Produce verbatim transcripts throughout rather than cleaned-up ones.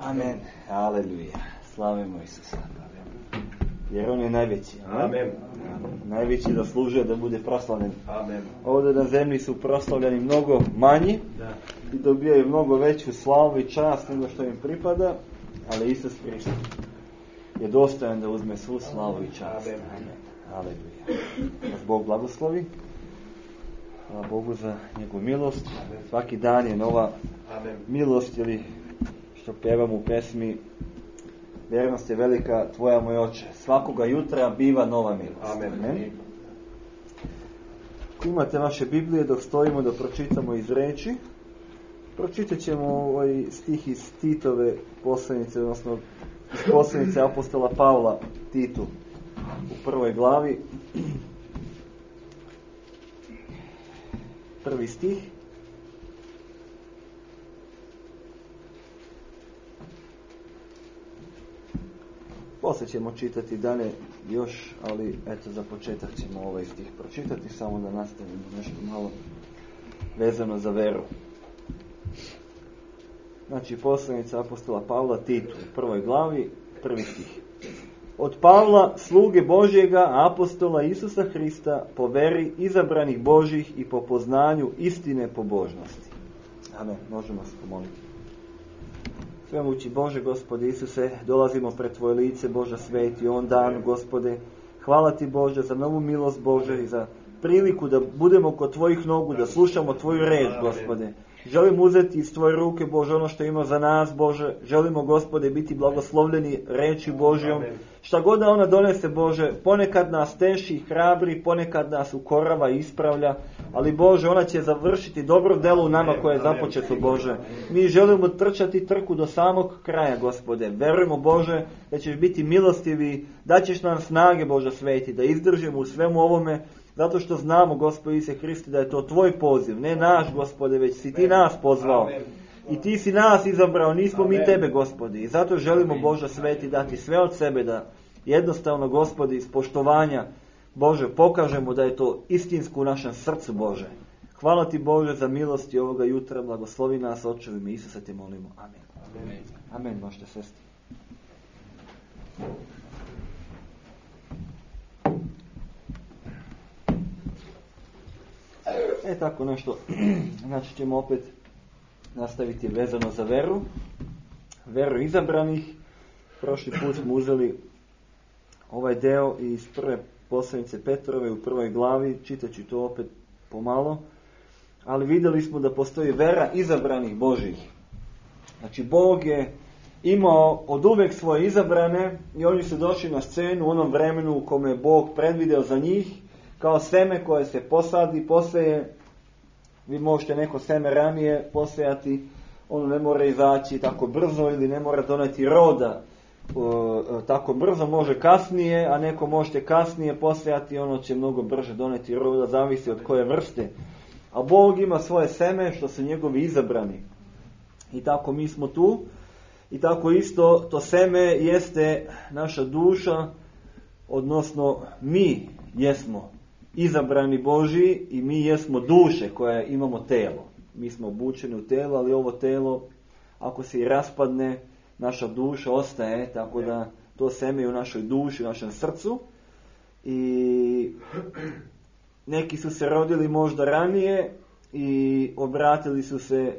Amen. Aleluja. Slavimo Isusa. Jer on je najveći. Amen. Amen. Najveći zaslužuje da bude proslavljen. Amen. Ovdje na zemlji su proslavljeni mnogo manji Da. i dobijaju mnogo veću slavu i čast nego što im pripada, ali Isus Hrist je dostojan da uzme svu slavu i čast. Amen. Amen. Aleluja. Nas Bog blagoslovi. Hvala Bogu za njegovu milost. Amen. Svaki dan je nova Amen. milost, ili što pevamo u pesmi, vjernost je velika tvoja, moj oče. Svakoga jutra biva nova milost. Amen. Amen. Ako imate vaše Biblije, dok stojimo da pročitamo iz reči, pročitat ćemo ovaj stih iz Titove poslanice, odnosno iz poslanice apostola Pavla Titu u prvoj glavi. Prvi stih. Poslije ćemo čitati dalje još, ali eto za početak ćemo ovaj stih pročitati, samo da nastavimo nešto malo vezano za veru. Znači, poslanica apostola Pavla Titu u prvoj glavi, prvi stih. Od Pavla, sluge Božjega, apostola Isusa Hrista, po veri izabranih Božjih i po poznanju istine pobožnosti. Amen. Možemo se pomoliti. Svemogući Bože, Gospode Isuse, dolazimo pred Tvoje lice, Bože sveti, on dan, Gospode. Hvala Ti, Bože, za novu milost, Bože, i za priliku da budemo kod Tvojih nogu, da slušamo Tvoju reč, Gospode. Želimo uzeti iz Tvoje ruke, Bože, ono što ima za nas, Bože. Želimo, Gospode, biti blagoslovljeni reči Božjom. Šta god da ona donese, Bože, ponekad nas teši i hrabri, ponekad nas ukorava i ispravlja, ali, Bože, ona će završiti dobro delo u nama koje je započeto, Bože. Mi želimo trčati trku do samog kraja, Gospode. Verujemo, Bože, da ćeš biti milostivi, da ćeš nam snage, Bože sveti, da izdržimo u svemu ovome, zato što znamo, Gospod Isuse Hriste, da je to Tvoj poziv, ne naš, Gospode, već si Ti nas pozvao. Amen. I Ti si nas izabrao, nismo Amen. mi Tebe, Gospodi. I zato želimo, Bože sveti, dati sve od sebe, da jednostavno, Gospodi, iz poštovanja, Bože, pokažemo da je to istinsko u našem srcu, Bože. Hvala Ti, Bože, za milosti ovoga jutra. Blagoslovi nas, Oče, u ime Isusa Te molimo. Amen. Amen. Amen, možete sesti. E tako nešto, znači ćemo opet nastaviti vezano za veru, veru izabranih. Prošli put smo uzeli ovaj deo iz prve poslanice Petrove u prvoj glavi, čitaću to opet pomalo, ali vidjeli smo da postoji vera izabranih Božih. Znači Bog je imao od uvek svoje izabrane i oni su došli na scenu u onom vremenu u kome je Bog predvideo za njih, kao seme koje se posadi, poseje. Vi možete neko seme ranije posejati, ono ne mora izaći tako brzo ili ne mora doneti roda o, tako brzo, može kasnije, a neko možete kasnije posejati, ono će mnogo brže doneti roda, zavisi od koje vrste. A Bog ima svoje seme što su njegovi izabrani. I tako mi smo tu, i tako isto to seme jeste naša duša, odnosno mi jesmo izabrani Božji i mi jesmo duše koje imamo telo. Mi smo obučeni u telo, ali ovo telo, ako se i raspadne, naša duša ostaje, tako da to seme je u našoj duši, u našem srcu. I neki su se rodili možda ranije i obratili su se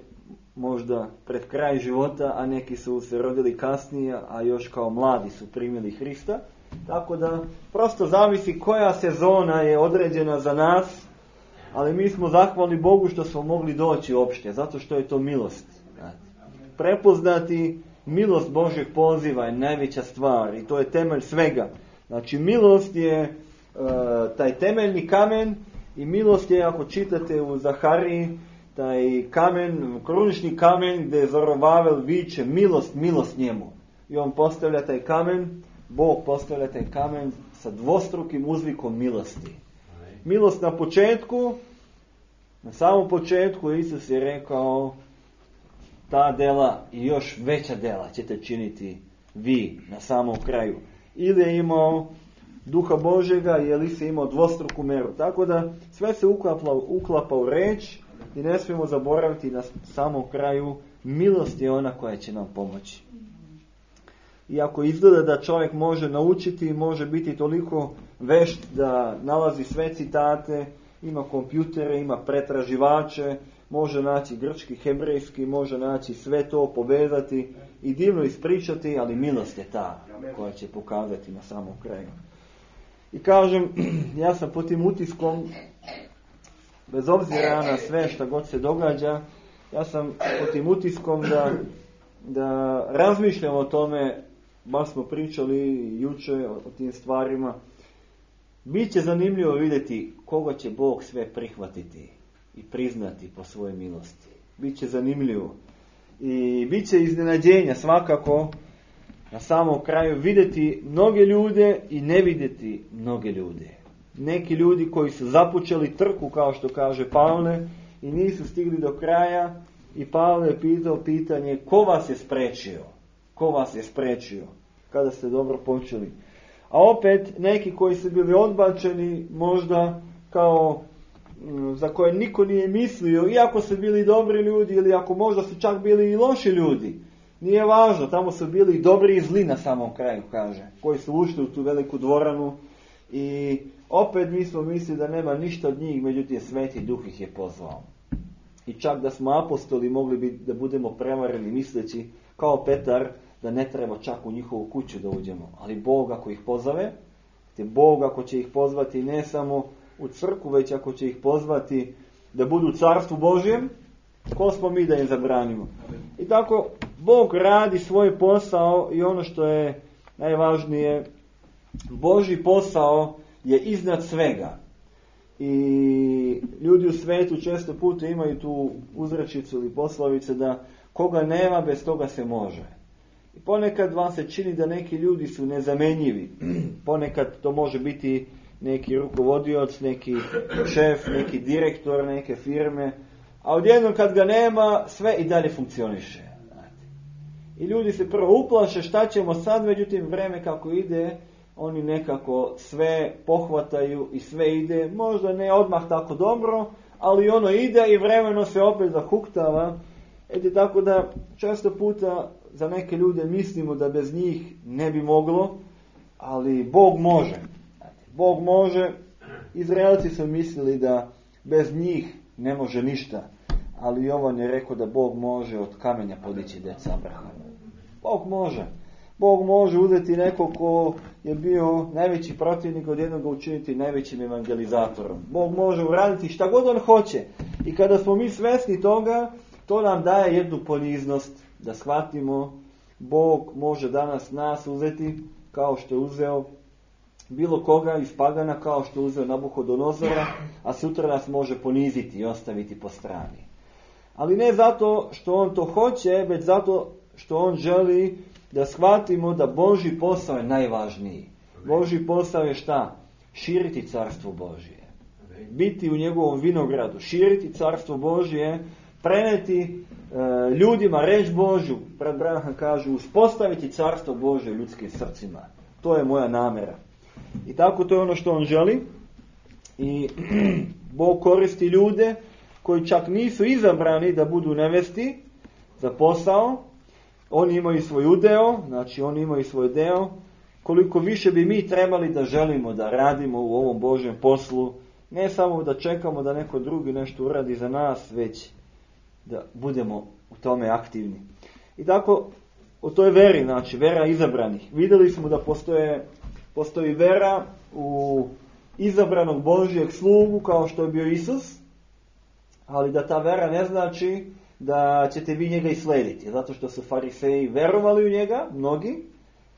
možda pred kraj života, a neki su se rodili kasnije, a još kao mladi su primili Hrista. Tako da prosto zavisi koja sezona je određena za nas, ali mi smo zahvalni Bogu što smo mogli doći uopšte, zato što je to milost. Prepoznati milost Božjeg poziva je najveća stvar i to je temelj svega. Znači milost je uh, taj temeljni kamen i milost je, ako čitate u Zahariji, taj kamen, krunični kamen gdje Zorovavel viče milost, milost njemu. I on postavlja taj kamen, Bog postavlja taj kamen sa dvostrukim uzvikom milosti. Milost na početku, na samom početku Isus je rekao, ta dela i još veća dela ćete činiti vi na samom kraju. Ili je imao Duha Božjega, ili se imao dvostruku meru. Tako da sve se uklapa, uklapa u reč i ne smijemo zaboraviti na samom kraju milost je ona koja će nam pomoći. iako izgleda da čovjek može naučiti, može biti toliko vešt da nalazi sve citate, ima kompjutere, ima pretraživače, može naći grčki, hebrejski, može naći sve to, povezati i divno ispričati, ali milost je ta koja će pokazati na samom kraju. I kažem, ja sam pod tim utiskom, bez obzira na sve što god se događa, ja sam pod tim utiskom da, da razmišljam o tome, baš smo pričali juče o, o tim stvarima. Biće zanimljivo vidjeti koga će Bog sve prihvatiti i priznati po svojoj milosti. Biće zanimljivo. I bit će iznenađenja svakako na samom kraju vidjeti mnoge ljude i ne vidjeti mnoge ljude. Neki ljudi koji su započeli trku, kao što kaže Pavle, i nisu stigli do kraja, i Pavle je pitao pitanje ko vas je spriječio? Ko vas je spriječio kada ste dobro počeli? A opet neki koji su bili odbačeni možda kao za koje niko nije mislio, iako su bili dobri ljudi ili ako možda su čak bili i loši ljudi. Nije važno, tamo su bili i dobri i zli na samom kraju, kaže, koji su ušli u tu veliku dvoranu i opet mi smo mislili da nema ništa od njih, međutim Sveti Duh ih je pozvao. I čak da smo apostoli mogli bi da budemo prevareni misleći kao Petar da ne treba čak u njihovu kuću da uđemo. Ali Bog ako ih pozove, te Bog ako će ih pozvati ne samo u crkvu, već ako će ih pozvati da budu u Carstvu Božjem, ko smo mi da im zabranimo? I tako Bog radi svoj posao i ono što je najvažnije, Božji posao je iznad svega. I ljudi u svijetu često puta imaju tu uzrečicu ili poslovice da koga nema, bez toga se može. I ponekad vam se čini da neki ljudi su nezamenjivi. Ponekad to može biti neki rukovodioc, neki šef, neki direktor neke firme, a odjednom kad ga nema, sve i dalje funkcioniše. I ljudi se prvo uplaše šta ćemo sad, međutim vreme kako ide, oni nekako sve pohvataju i sve ide, možda ne odmah tako dobro, ali ono ide i vremeno se opet zahuktava. Eti tako da često puta za neke ljude mislimo da bez njih ne bi moglo, ali Bog može. Bog može. Izraelci su mislili da bez njih ne može ništa, ali Jovan je rekao da Bog može od kamenja podići djeca Abrahama. Bog može. Bog može uzeti nekog ko je bio najveći protivnik, od jednog učiniti najvećim evangelizatorom. Bog može uraditi šta god on hoće. I kada smo mi svjesni toga, to nam daje jednu poniznost da shvatimo Bog može danas nas uzeti kao što je uzeo bilo koga iz pagana, kao što je uzeo Nabuhodonozora, a sutra nas može poniziti i ostaviti po strani. Ali ne zato što on to hoće, već zato što on želi da shvatimo da Božji posao je najvažniji. Božji posao je šta? Širiti carstvo Božje. Biti u njegovom vinogradu, širiti carstvo Božje, preneti e, ljudima reč Božju, pred Branham kažu, uspostaviti carstvo Božje u ljudskim srcima. To je moja namjera. I tako to je ono što on želi. I Bog koristi ljude koji čak nisu izabrani da budu nevesti za posao. Oni imaju svoj udeo, znači oni imaju svoj deo. Koliko više bi mi trebali da želimo da radimo u ovom Božjem poslu, ne samo da čekamo da neko drugi nešto uradi za nas, već da budemo u tome aktivni. I tako, o toj veri, znači vera izabranih. Vidjeli smo da postoje, postoji vera u izabranog Božjeg slugu kao što je bio Isus, ali da ta vera ne znači da ćete vi njega i slediti, zato što su fariseji verovali u njega, mnogi,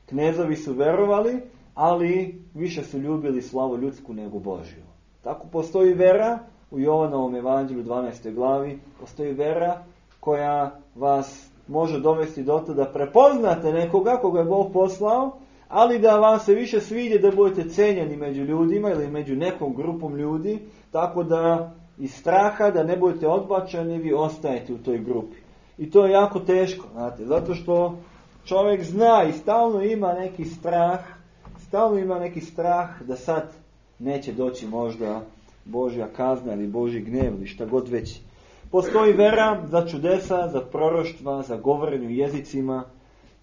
knezovi su verovali, ali više su ljubili slavu ljudsku nego Božju. Tako postoji vera u Jovanovom evanđelju dvanaestoj glavi, postoji vera koja vas može dovesti do toga da prepoznate nekoga koga je Bog poslao, ali da vam se više sviđa da budete cenjeni među ljudima ili među nekom grupom ljudi, tako da iz straha da ne budete odbačeni, vi ostajete u toj grupi. I to je jako teško, znate, zato što čovjek zna i stalno ima neki strah, stalno ima neki strah da sad neće doći možda Božja kazna ili Božji gnev ili šta god već. Postoji vera za čudesa, za proroštva, za govorenje u jezicima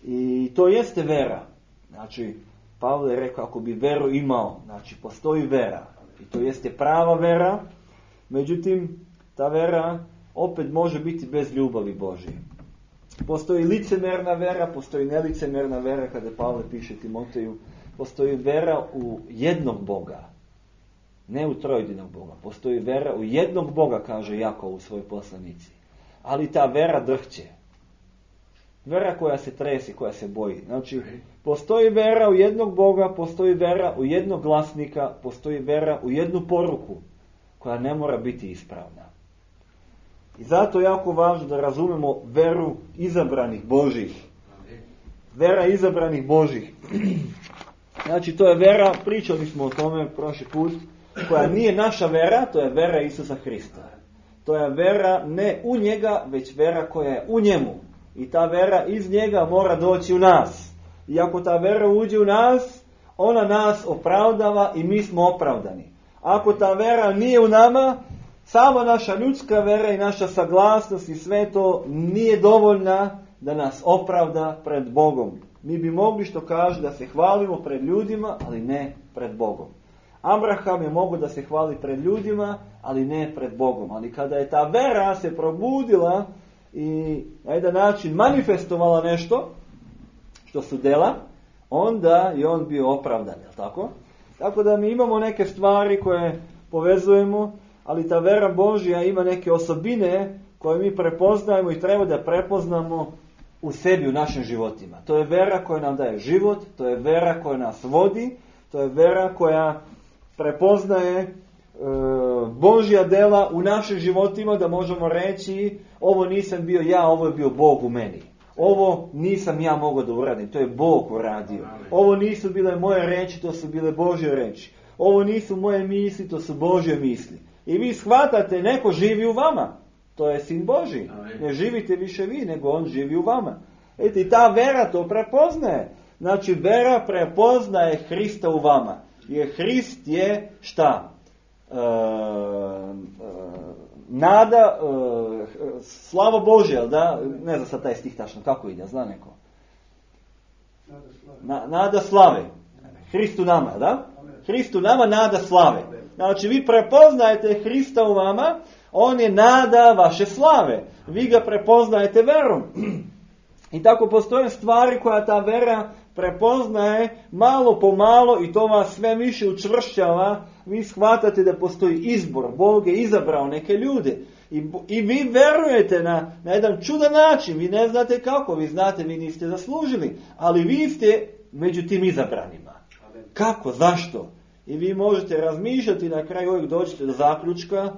I to jeste vera. Znači, Pavle je rekao, ako bi veru imao, znači postoji vera. I to jeste prava vera, međutim, ta vera opet može biti bez ljubavi Božje. Postoji licemerna vera, postoji nelicemerna vera, kada Pavle piše Timoteju, postoji vera u jednog Boga, ne u trojedinog Boga. Postoji vera u jednog Boga, kaže Jakov u svojoj poslanici. Ali ta vera drhće. Vera koja se tresi, koja se boji. Znači, postoji vera u jednog Boga, postoji vera u jednog glasnika, postoji vera u jednu poruku, koja ne mora biti ispravna. I zato je jako važno da razumemo veru izabranih Božih. Vera izabranih Božih. Znači, to je vera, pričali smo o tome prošli put, koja nije naša vera, to je vera Isusa Hrista. To je vera ne u njega, već vera koja je u njemu. I ta vera iz njega mora doći u nas. I ako ta vera uđe u nas, ona nas opravdava i mi smo opravdani. Ako ta vera nije u nama, sama naša ljudska vera i naša saglasnost i sve to nije dovoljna da nas opravda pred Bogom. Mi bi mogli, što kaže, da se hvalimo pred ljudima, ali ne pred Bogom. Abraham je mogao da se hvali pred ljudima, ali ne pred Bogom. Ali kada je ta vera se probudila i na jedan način manifestovala nešto, što su dela, onda je on bio opravdan, je li tako? Tako da mi imamo neke stvari koje povezujemo, ali ta vera Božja ima neke osobine koje mi prepoznajemo i treba da prepoznamo u sebi, u našim životima. To je vera koja nam daje život, to je vera koja nas vodi, to je vera koja prepoznaje e, Božja dela u našim životima, da možemo reći, ovo nisam bio ja, ovo je bio Bog u meni. Ovo nisam ja mogao da uradim, to je Bog uradio. Ovo nisu bile moje reči, to su bile Božje reči. Ovo nisu moje misli, to su Božje misli. I vi shvatate, neko živi u vama. To je Sin Božji. Ne živite više vi, nego on živi u vama. Eti, i ta vera to prepoznaje. Znači, vera prepoznaje Hrista u vama. Jer Hrist je šta? E, e, nada, e, slava Božja, da? Ne znam sad taj stih tačno, kako ide, zna neko? Na, nada slave. Hristu nama, da? Hristu nama, nada slave. Znači, vi prepoznajete Hrista u vama, on je nada vaše slave. Vi ga prepoznajete verom. I tako postoje stvari koja ta vera prepoznaje malo po malo i to vas sve više učvršćava. Vi shvatate da postoji izbor. Bog je izabrao neke ljude. I, i vi verujete na, na jedan čudan način. Vi ne znate kako. Vi znate, vi niste zaslužili. Ali vi ste među tim izabranima. Kako? Zašto? I vi možete razmišljati, na kraju uvijek dođete do zaključka,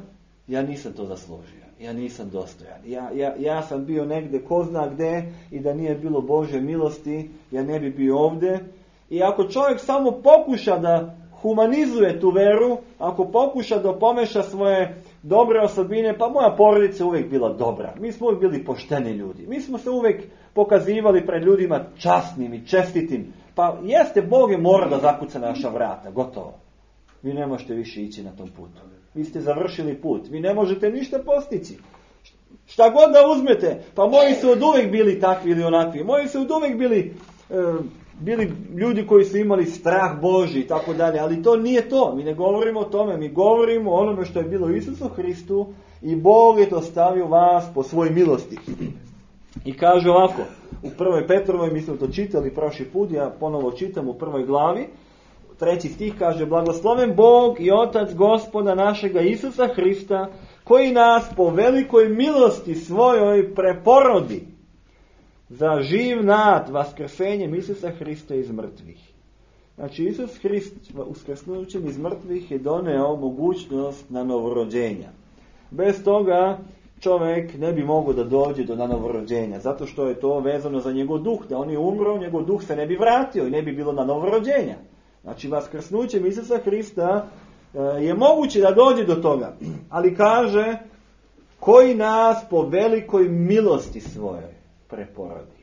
ja nisam to zaslužio, ja nisam dostojan, ja, ja, ja sam bio negdje ko zna gdje i da nije bilo Božje milosti, ja ne bi bio ovdje. I ako čovjek samo pokuša da humanizuje tu veru, ako pokuša da pomeša svoje dobre osobine, pa moja porodica je uvijek bila dobra, mi smo uvijek bili pošteni ljudi, mi smo se uvijek pokazivali pred ljudima časnim i čestitim, pa jeste, Bog je mora da zakuca naša vrata, gotovo. Vi ne možete više ići na tom putu. Vi ste završili put. Vi ne možete ništa postići. Šta god da uzmete, pa moji su od uvijek bili takvi ili onakvi. Moji su od uvijek bili, e, bili ljudi koji su imali strah Božji i tako dalje. Ali to nije to. Mi ne govorimo o tome. Mi govorimo o onome što je bilo u Isusu Hristu i Bog je to stavio vas po svojoj milosti. I kaže ovako, u prvoj Petrovoj, mi smo to čitali prošli put, ja ponovo čitam u prvoj glavi, treći stih kaže, blagosloven Bog i Otac Gospoda našega Isusa Hrista, koji nas po velikoj milosti svojoj preporodi za živ nad vaskrsenjem Isusa Hrista iz mrtvih. Znači, Isus Hrist uskrsnućem iz mrtvih je doneo mogućnost na novorođenja. Bez toga čovjek ne bi mogao da dođe do novorođenja, zato što je to vezano za njegov duh, da on je umro, njegov duh se ne bi vratio i ne bi bilo na novorođenja. Znači, vaskrsnućem Isusa Hrista je moguće da dođe do toga, ali kaže, koji nas po velikoj milosti svojoj preporodi.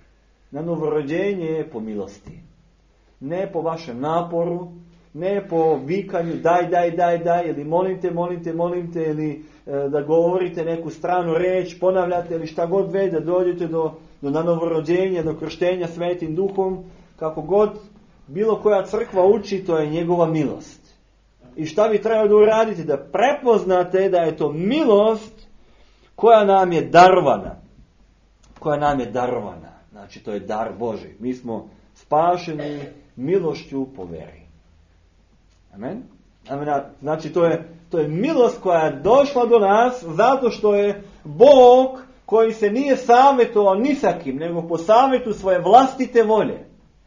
Na novorođenje je po milosti. Ne po vašem naporu, ne po vikanju daj, daj, daj, daj, ili molim te, molim te, molim te, ili e, da govorite neku stranu reč, ponavljate, ili šta god već, da dođete do do nanovorođenja, do krštenja Svetim Duhom, kako god bilo koja crkva uči, to je njegova milost. I šta vi treba da uradite? Da prepoznate da je to milost koja nam je darovana. Koja nam je darovana. Znači, to je dar Božji. Mi smo spašeni milošću po veri. Amen? Amen. Znači, to je, to je milost koja je došla do nas zato što je Bog koji se nije savjetovao ni sa kim, nego po savjetu svoje vlastite volje.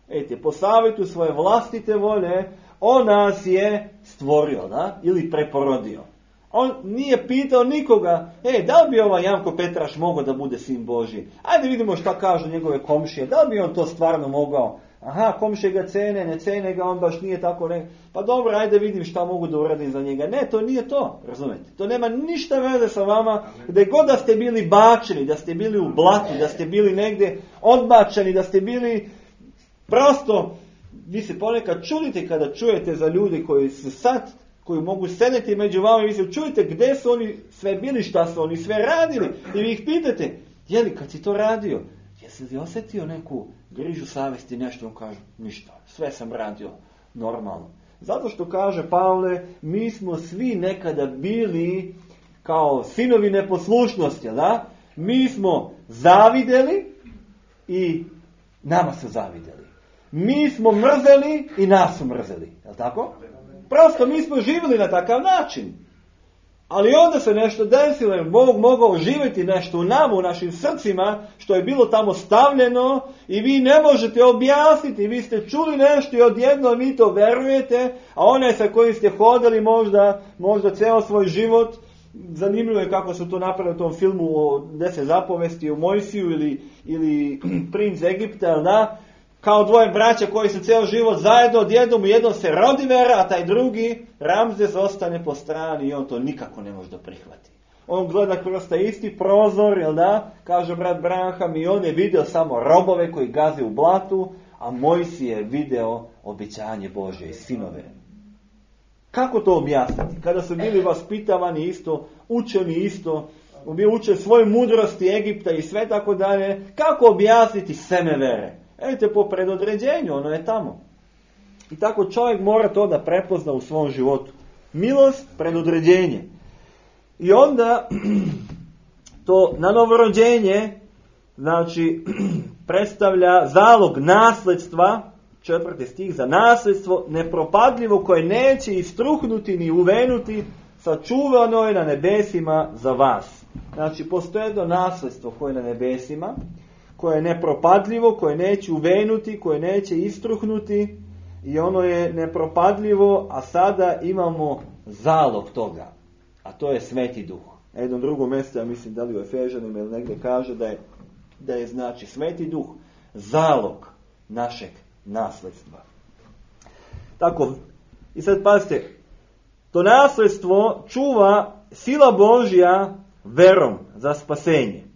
Ejte, po savjetu svoje vlastite volje, on nas je stvorio, da? Ili preporodio. On nije pitao nikoga, e, da li bi ovaj Janko Petraš mogao da bude sin Božji? Ajde vidimo šta kažu njegove komšije, da li bi on to stvarno mogao? Aha, komšije ga cene, ne cene ga, on baš nije tako ne. Pa dobro, ajde vidim šta mogu da uradim za njega. Ne, to nije to, razumete? To nema ništa veze sa vama, gdje god da ste bili bačeni, da ste bili u blatu, da ste bili negdje odbačeni, da ste bili prosto, vi se ponekad čudite kada čujete za ljudi koji su sad, koji mogu sedeti među vama i vi se čujete gdje su oni sve bili, šta su oni sve radili. I vi ih pitate, jeli kad si to radio, jesi li osjetio neku grižu savjesti, nešto? On kaže, ništa, sve sam radio normalno. Zato što kaže Pavle, mi smo svi nekada bili kao sinovi neposlušnosti, da? Mi smo zavideli i nama su zavideli. Mi smo mrzeli i nas su mrzeli, je li tako? Prosto mi smo živjeli na takav način. Ali onda se nešto desilo, jer Bog mogao živjeti nešto u nama, u našim srcima, što je bilo tamo stavljeno i vi ne možete objasniti. Vi ste čuli nešto i odjednom vi to verujete, a onaj sa kojim ste hodali možda, možda ceo svoj život, zanimljivo je kako su to napravili u tom filmu o deset zapovesti, o Mojsiju ili, ili princ Egipta, da? Kao dvoje braća koji su ceo život zajedno, odjednom jednom se rodi vera, a taj drugi, Ramzes, ostane po strani i on to nikako ne može da prihvati. On gleda kroz taj isti prozor, jel da, kaže brat Branham, i on je video samo robove koji gaze u blatu, a Mojsije je video obećanje Božje i sinove. Kako to objasniti? Kada su bili vaspitavani isto, učeni isto, bili uče svoje mudrosti Egipta i sve tako dalje, kako objasniti seme vere? Ejte, po predodređenju, ono je tamo. I tako čovjek mora to da prepozna u svom životu. Milost, predodređenje. I onda to nanovorođenje, znači, predstavlja zalog nasledstva, četvrti stih, za nasledstvo nepropadljivo koje neće istruhnuti ni uvenuti, sačuvano je na nebesima za vas. Znači, postoje jedno nasledstvo koje je na nebesima, koje je nepropadljivo, koje neće uvenuti, koje neće istruhnuti i ono je nepropadljivo, a sada imamo zalog toga, a to je Sveti Duh. Na jednom drugom mjestu, ja mislim da li u Efežanima ili negdje kaže da je, da je znači Sveti Duh zalog našeg nasledstva. Tako, i sad pazite, to nasledstvo čuva sila Božja verom za spasenje.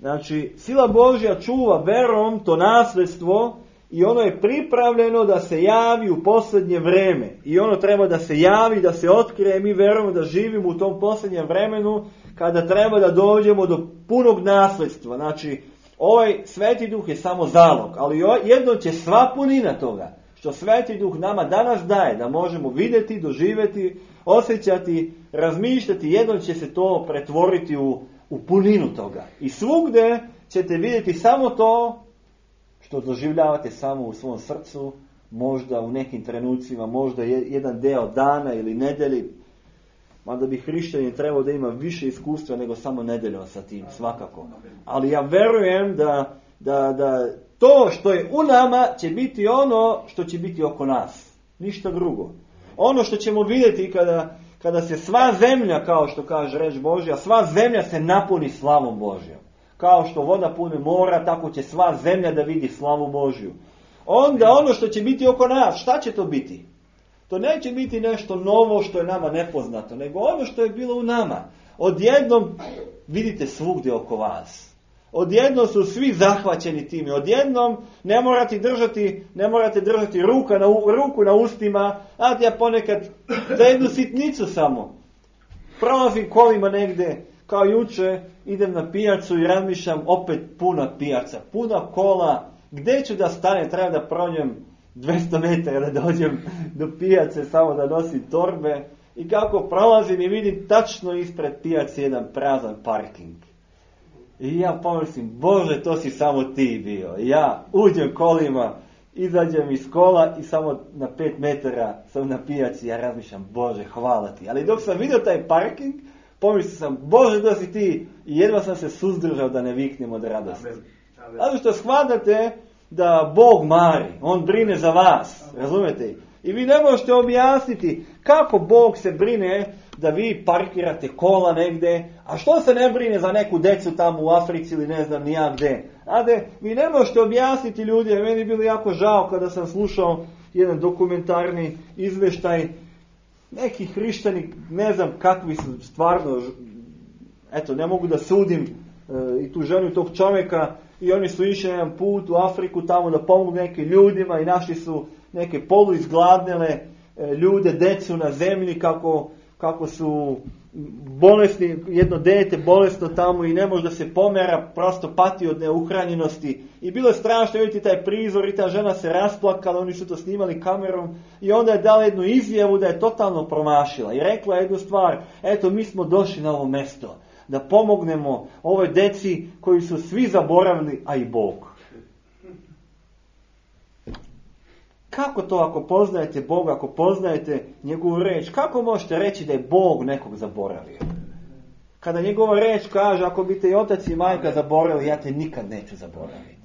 Znači, sila Božja čuva verom to nasledstvo i ono je pripravljeno da se javi u posljednje vreme. I ono treba da se javi, da se otkrije. Mi verujemo da živimo u tom posljednjem vremenu kada treba da dođemo do punog nasledstva. Znači, ovaj Sveti Duh je samo zalog, ali jedno će sva punina toga što Sveti Duh nama danas daje, da možemo vidjeti, doživjeti, osjećati, razmišljati, jedno će se to pretvoriti u u puninu toga. I svugde ćete vidjeti samo to što doživljavate samo u svom srcu, možda u nekim trenucima, možda jedan deo dana ili nedelji. Mada bi hrišćanin trebao da ima više iskustva nego samo nedeljom sa tim, svakako. Ali ja verujem da, da, da to što je u nama će biti ono što će biti oko nas. Ništa drugo. Ono što ćemo vidjeti kada Kada se sva zemlja, kao što kaže reč Božja, sva zemlja se napuni slavom Božjom. Kao što voda pune mora, tako će sva zemlja da vidi slavu Božju. Onda ono što će biti oko nas, šta će to biti? To neće biti nešto novo što je nama nepoznato, nego ono što je bilo u nama. Odjednom vidite svugdje oko vas. Odjednom su svi zahvaćeni time. Odjednom ne morate držati, ne morate držati ruka na, ruku na ustima, a ja ponekad za jednu sitnicu samo prolazim kolima negdje, kao juče, idem na pijacu i razmišljam, opet puna pijaca, puna kola, gdje ću da stane, treba da prođem dvjesto metara da dođem do pijace, samo da nosim torbe. I kako prolazim i vidim tačno ispred pijace jedan prazan parking. I ja pomislim, Bože, to si samo ti bio. I ja uđem kolima, izađem iz kola i samo na pet metara sam na pijaci. Ja razmišljam, Bože, hvala ti. Ali dok sam vidio taj parking, pomislio sam, Bože, da si ti. I jedva sam se suzdržao da ne viknem od radosti. Zato što shvatate da Bog mari, On brine za vas, razumete? I vi ne možete objasniti kako Bog se brine da vi parkirate kola negdje, a što se ne brine za neku decu tamo u Africi ili ne znam ni ja gdje. Ade, vi ne možete objasniti ljudi, jer meni je bilo jako žao kada sam slušao jedan dokumentarni izvještaj neki hrišćani, ne znam kakvi su stvarno, eto, ne mogu da sudim e, i tu ženu tog čovjeka, i oni su išli jedan put u Afriku tamo da pomogu nekim ljudima i našli su neke poluizgladnele e, ljude, decu na zemlji, kako, kako su bolesni, jedno dete bolesno tamo i ne može da se pomera, prosto pati od neuhranjenosti. I bilo je strašno vidjeti taj prizor i ta žena se rasplakala, oni su to snimali kamerom i onda je dala jednu izjavu da je totalno promašila i rekla jednu stvar, eto mi smo došli na ovo mjesto da pomognemo ovoj deci koji su svi zaboravili, a i Bog. Kako to ako poznajete Boga, ako poznajete njegovu reč, kako možete reći da je Bog nekog zaboravio? Kada njegova reč kaže, ako bi te i otac i majka zaboravili, ja te nikad neću zaboraviti.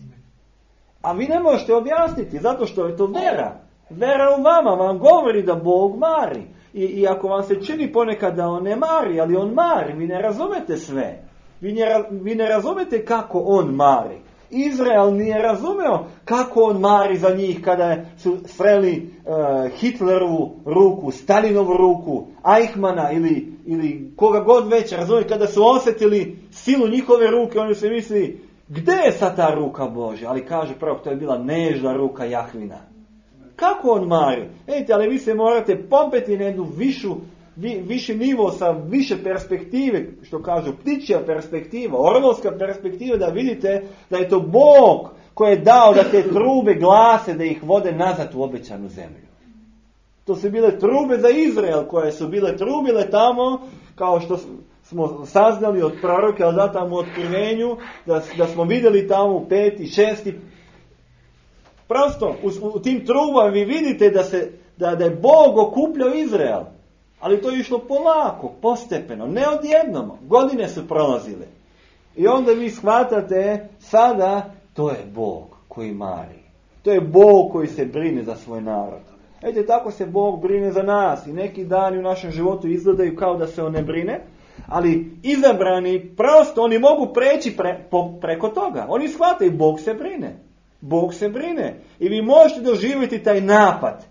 A vi ne možete objasniti, zato što je to vera. Vera u vama vam govori da Bog mari. I, i ako vam se čini ponekad da On ne mari, ali On mari, vi ne razumete sve. Vi ne, vi ne razumete kako On mari. Izrael nije razumeo kako On mari za njih kada su sreli uh, Hitlerovu ruku, Stalinovu ruku, Eichmana ili, ili koga god već, razumijete, kada su osjetili silu njihove ruke, oni su mislili, gdje je sad ta ruka Božja? Ali kaže prvo, to je bila nežna ruka Jahvina. Kako On mari? Ejte, ali vi se morate popeti na jednu višu, vi, viši nivo sa više perspektive, što kažu ptičja perspektiva, orlovska perspektiva, da vidite da je to Bog koji je dao da te trube glase, da ih vode nazad u obećanu zemlju. To su bile trube za Izrael, koje su bile trubile tamo, kao što smo saznali od proroka, ali da tamo u otkrivenju, da, da smo vidjeli tamo u peti, šesti. Prosto, u, u tim trubama vi vidite da, se, da, da je Bog okupljao Izrael. Ali to je išlo polako, postepeno, ne odjednom. Godine su prolazile. I onda vi shvatate, sada to je Bog koji mari. To je Bog koji se brine za svoj narod. Ete, tako se Bog brine za nas. I neki dani u našem životu izgledaju kao da se On ne brine. Ali izabrani, prosto, oni mogu preći pre, po, preko toga. Oni shvataju, Bog se brine. Bog se brine. I vi možete doživjeti taj napad.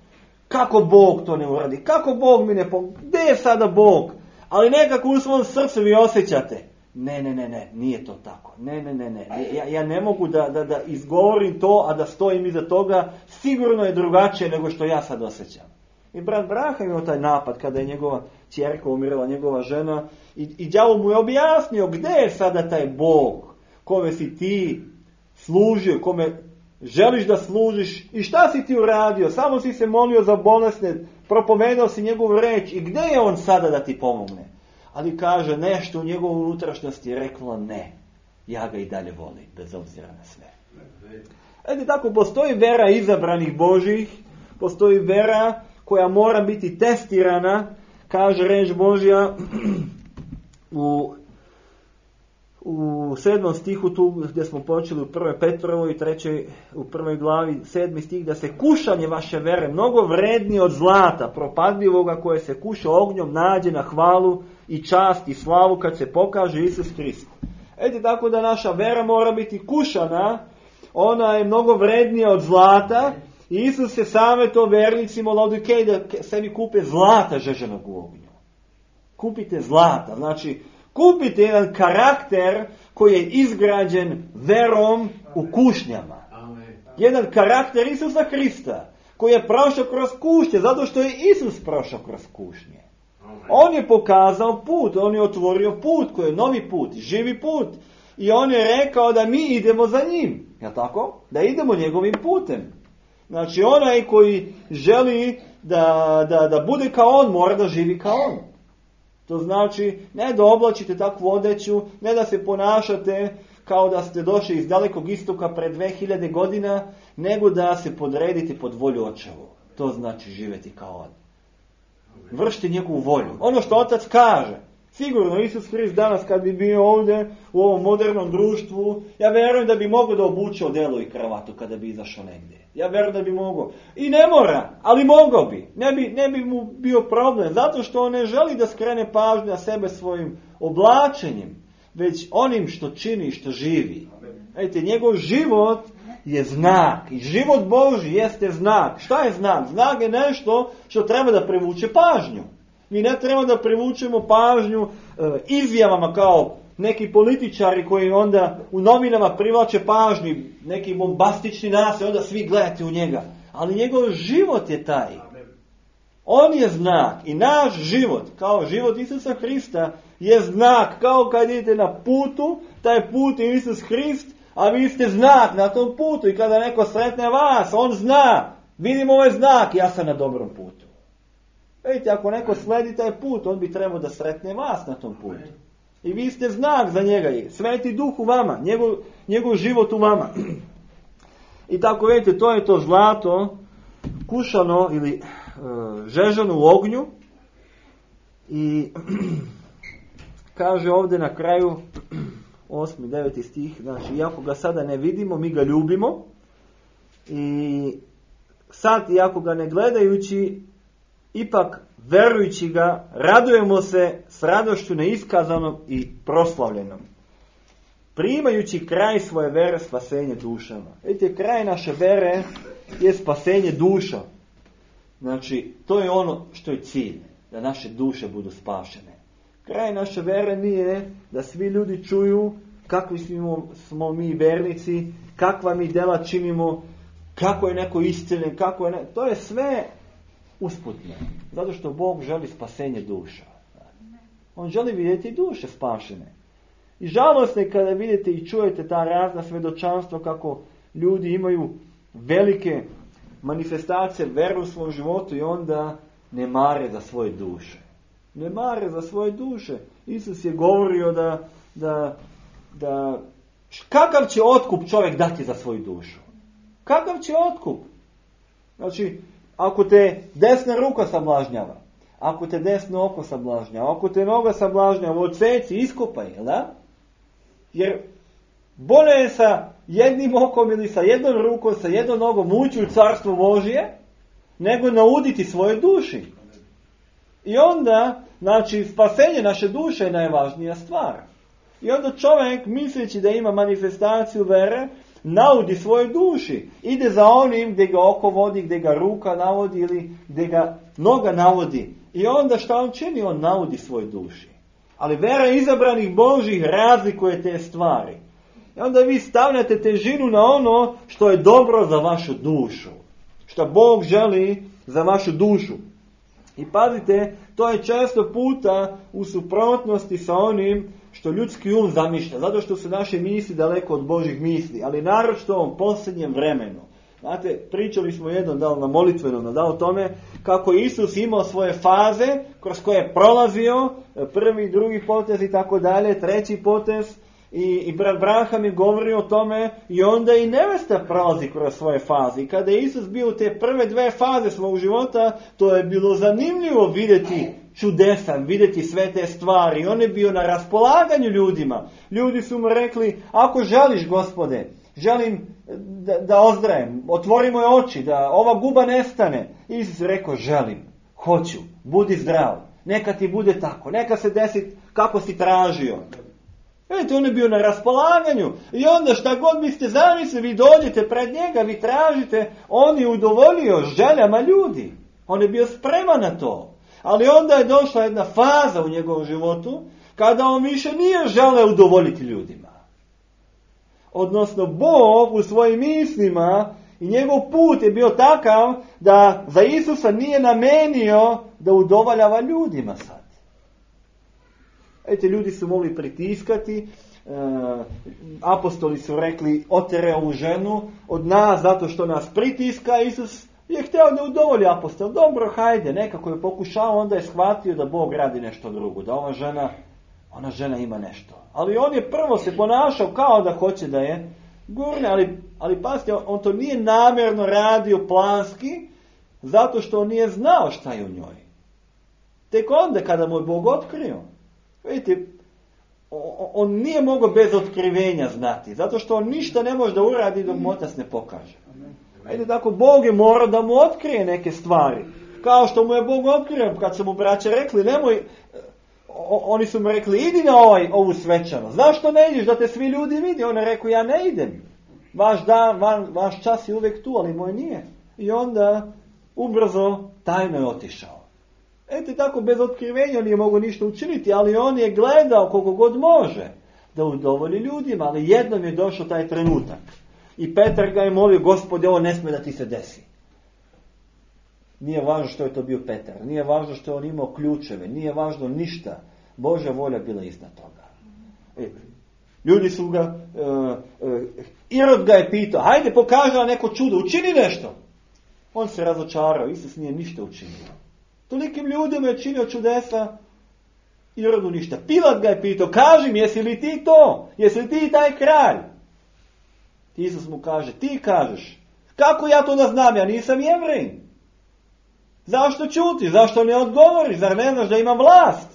Kako Bog to ne uradi? Kako Bog mi ne pomogne? Gdje je sada Bog? Ali nekako u svom srcu vi osjećate. Ne, ne, ne, ne, nije to tako. Ne, ne, ne, ne. Ja, ja ne mogu da, da, da izgovorim to, a da stojim iza toga. Sigurno je drugačije nego što ja sad osjećam. I brat Braha imao taj napad kada je njegova ćerka umirala, njegova žena. I, i đavo mu je objasnio gdje je sada taj Bog kome si ti služio, kome želiš da služiš i šta si ti uradio? Samo si se molio za bolesne, propomenuo si njegovu reč i gdje je On sada da ti pomogne? Ali kaže, nešto u njegovoj unutrašnjosti je reklo ne. Ja ga i dalje volim, bez obzira na sve. Ede, tako postoji vera izabranih Božjih, postoji vera koja mora biti testirana, kaže reč Božja u U sedmom stihu tu gdje smo počeli u prvoj Petrovoj i trećoj u prvoj glavi, sedmi stih, da se kušanje vaše vere mnogo vrednije od zlata propadljivoga koje se kuša ognjom nađe na hvalu i čast i slavu kad se pokaže Isus Krist. Eti, tako da naša vera mora biti kušana, ona je mnogo vrednija od zlata i Isus se savjetovao vernicima u Laodikeji da sebi kupe zlata žeženog u ognju. Kupite zlata, znači kupite jedan karakter koji je izgrađen verom u kušnjama. Jedan karakter Isusa Krista koji je prošao kroz kušnje, zato što je Isus prošao kroz kušnje. On je pokazao put, on je otvorio put koji je novi put, živi put. I on je rekao da mi idemo za njim. Jel tako? Da idemo njegovim putem. Znači onaj koji želi da, da, da bude kao on, mora da živi kao on. To znači ne da oblačite takvu odeću, ne da se ponašate kao da ste došli iz dalekog istoka pred dve hiljade godina, nego da se podredite pod volju očevu. To znači živjeti kao on. Vršite njegovu volju. Ono što otac kaže. Sigurno Isus Hrist danas kad bi bio ovdje u ovom modernom društvu, ja vjerujem da bi mogao da obuče odelo i kravatu kada bi izašao negdje. Ja vjerujem da bi mogao. I ne mora, ali mogao bi. Ne bi, ne bi mu bio problem. Zato što on ne želi da skrene pažnju na sebe svojim oblačenjem, već onim što čini i što živi. Vidite, njegov život je znak. I život Božji jeste znak. Šta je znak? Znak je nešto što treba da privuče pažnju. Mi ne treba da privučemo pažnju e, izjavama kao neki političari koji onda u novinama privlače pažnju, neki bombastični nase, onda svi gledate u njega. Ali njegov život je taj. On je znak i naš život, kao život Isusa Hrista, je znak. Kao kad idete na putu, taj put je Isus Hrist, a vi ste znak na tom putu. I kada neko sretne vas, on zna. Vidim ovaj znak, ja sam na dobrom putu. Vidite, ako neko sledi taj put, on bi trebao da sretne vas na tom putu. I vi ste znak za njega. Sveti duh u vama, njegov, njegov život u vama. I tako vidite, to je to zlato, kušano ili e, žežano u ognju. I kaže ovdje na kraju, osmi, deveti stih, znači, iako ga sada ne vidimo, mi ga ljubimo. I sad, iako ga ne gledajući, ipak, verujući ga, radujemo se s radošću neiskazanom i proslavljenom. Primajući kraj svoje vere, spasenje dušama. Vidite, kraj naše vere je spasenje duša. Znači, to je ono što je cilj, da naše duše budu spašene. Kraj naše vere nije da svi ljudi čuju kakvi smo, smo mi vernici, kakva mi dela činimo, kako je neko isceljen, kako je ne... To je sve usputno. Zato što Bog želi spasenje duša. On želi vidjeti duše spašene. I žalostno je kada vidite i čujete ta razna svjedočanstva kako ljudi imaju velike manifestacije vere u svom životu i onda ne mare za svoje duše. Ne mare za svoje duše. Isus je govorio da, da, da kakav će otkup čovjek dati za svoju dušu? Kakav će otkup? Znači, ako te desna ruka sablažnjava, ako te desno oko sablažnjava, ako te noga sablažnjava, odseci, iskopaj, jel da? Jer bolje je sa jednim okom ili sa jednom rukom, sa jednom nogom ući u carstvo Božje, nego nauditi svoje duši. I onda, znači, spasenje naše duše je najvažnija stvar. I onda čovjek, misleći da ima manifestaciju vere, naudi svoje duši. Ide za onim gdje ga oko vodi, gdje ga ruka navodi ili gdje ga noga navodi. I onda šta on čini? On naudi svoje duši. Ali vera izabranih Božih razlikuje te stvari. I onda vi stavljate težinu na ono što je dobro za vašu dušu. Što Bog želi za vašu dušu. I pazite, to je često puta u suprotnosti sa onim što ljudski um zamišlja. Zato što su naše misli daleko od Božih misli. Ali naročito u ovom posljednjem vremenu. Znate, pričali smo jednom da na molitvenom da o tome kako Isus imao svoje faze kroz koje je prolazio, prvi, drugi potez i tako dalje, treći potez. I, i brat Branham je govorio o tome i onda i nevesta prolazi kroz svoje faze. I kada je Isus bio u te prve dve faze svog života, to je bilo zanimljivo vidjeti čudesa, vidjeti sve te stvari. I on je bio na raspolaganju ljudima. Ljudi su mu rekli, ako želiš Gospode, želim da, da ozdrajem, otvori moje oči, da ova guba nestane. Isus je rekao, želim, hoću, budi zdrav, neka ti bude tako, neka se desi kako si tražio. Vidite, on je bio na raspolaganju. I onda šta god biste zamislili, vi dođete pred njega, vi tražite, on je udovoljio željama ljudi. On je bio spreman na to. Ali onda je došla jedna faza u njegovom životu, kada on više nije želeo udovoljiti ljudima. Odnosno, Bog u svojim mislima I njegov put je bio takav da za Isusa nije namenio da udovoljava ljudima sad. Ete, ljudi su mogli pritiskati, e, apostoli su rekli otere ovu ženu od nas zato što nas pritiska. Isus je htio da udovolji apostol. Dobro, hajde, nekako je pokušao, onda je shvatio da Bog radi nešto drugo, da ova žena, ona žena ima nešto. Ali on je prvo se ponašao kao da hoće da je gurne, ali, ali pazite, on to nije namjerno radio planski, zato što on nije znao šta je u njoj. Tek onda kada mu je Bog otkrio. Vidite, on nije mogao bez otkrivenja znati, zato što on ništa ne može da uradi dok mu Otac ne pokaže. Ajde, tako, Bog je morao da mu otkrije neke stvari. Kao što mu je Bog otkrio, kad su mu braće rekli, nemoj, oni su mu rekli, idi na ovaj, ovu svečanost. Zašto ne ideš, da te svi ljudi vidi? On je rekao, ja ne idem. Vaš, dan, van, vaš čas je uvijek tu, ali moj nije. I onda ubrzo tajno je otišao. Eto, tako, bez otkrivenja nije mogao ništa učiniti, ali on je gledao koliko god može da udovolji ljudima, ali jednom je došao taj trenutak. I Petar ga je molio, Gospode, ovo ne smije da ti se desi. Nije važno što je to bio Petar, nije važno što je on imao ključeve, nije važno ništa. Božja volja bila iznad toga. E, ljudi su ga, uh, uh, Irod ga je pitao, hajde pokaži nam neko čudo, učini nešto. On se razočarao, Isus nije ništa učinio. Tolikim ljudima je činio čudesa, Irodu ništa. Pilat ga je pitao, kaži mi, jesi li ti to? Jesi li ti taj kralj? Isus mu kaže, ti kažeš. Kako ja to da znam? Ja nisam Jevrej. Zašto ćutiš? Zašto ne odgovoriš? Zar ne znaš da imam vlast?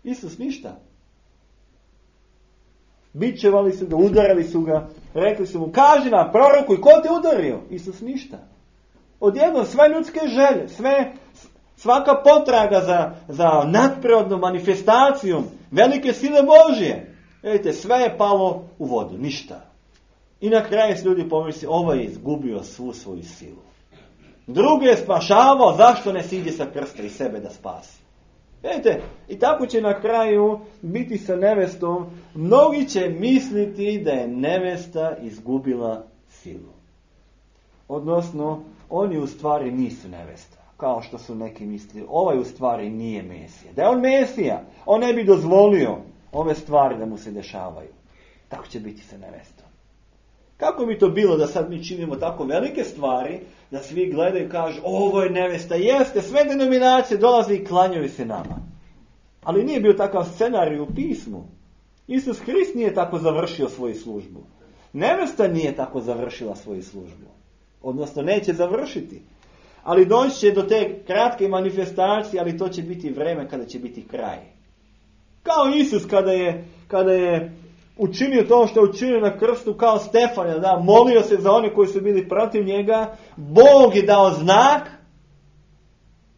Isus ništa. Bičevali su ga, udarali su ga, rekli su mu, kaži nam, prorokuj, ko te udario? Isus ništa. Odjednom sve ljudske želje, sve, svaka potraga za, za nadprirodnom manifestacijom, velike sile Božje, vidite, sve je palo u vodu, ništa. I na kraju se ljudi pomisli, ovaj je izgubio svu svoju silu. Drugi je spašavao, zašto ne siđe sa krsta i sebe da spasi? Vidite, i tako će na kraju biti sa nevestom. Mnogi će misliti da je nevesta izgubila silu. Odnosno, oni u stvari nisu nevesta. Kao što su neki mislili, ovaj u stvari nije Mesija. Da je on Mesija, on ne bi dozvolio ove stvari da mu se dešavaju. Tako će biti sa nevestom. Kako bi to bilo da sad mi činimo tako velike stvari, da svi gledaju i kažu, ovo je nevesta, jeste, sve denominacije dolaze i klanjaju se nama. Ali nije bio takav scenarij u pismu. Isus Hrist nije tako završio svoju službu. Nevesta nije tako završila svoju službu. Odnosno, neće završiti. Ali doći će do te kratke manifestacije, ali to će biti vreme kada će biti kraj. Kao Isus kada je, kada je učinio to što je učinio na krstu, kao Stefan, da, molio se za one koji su bili protiv njega, Bog je dao znak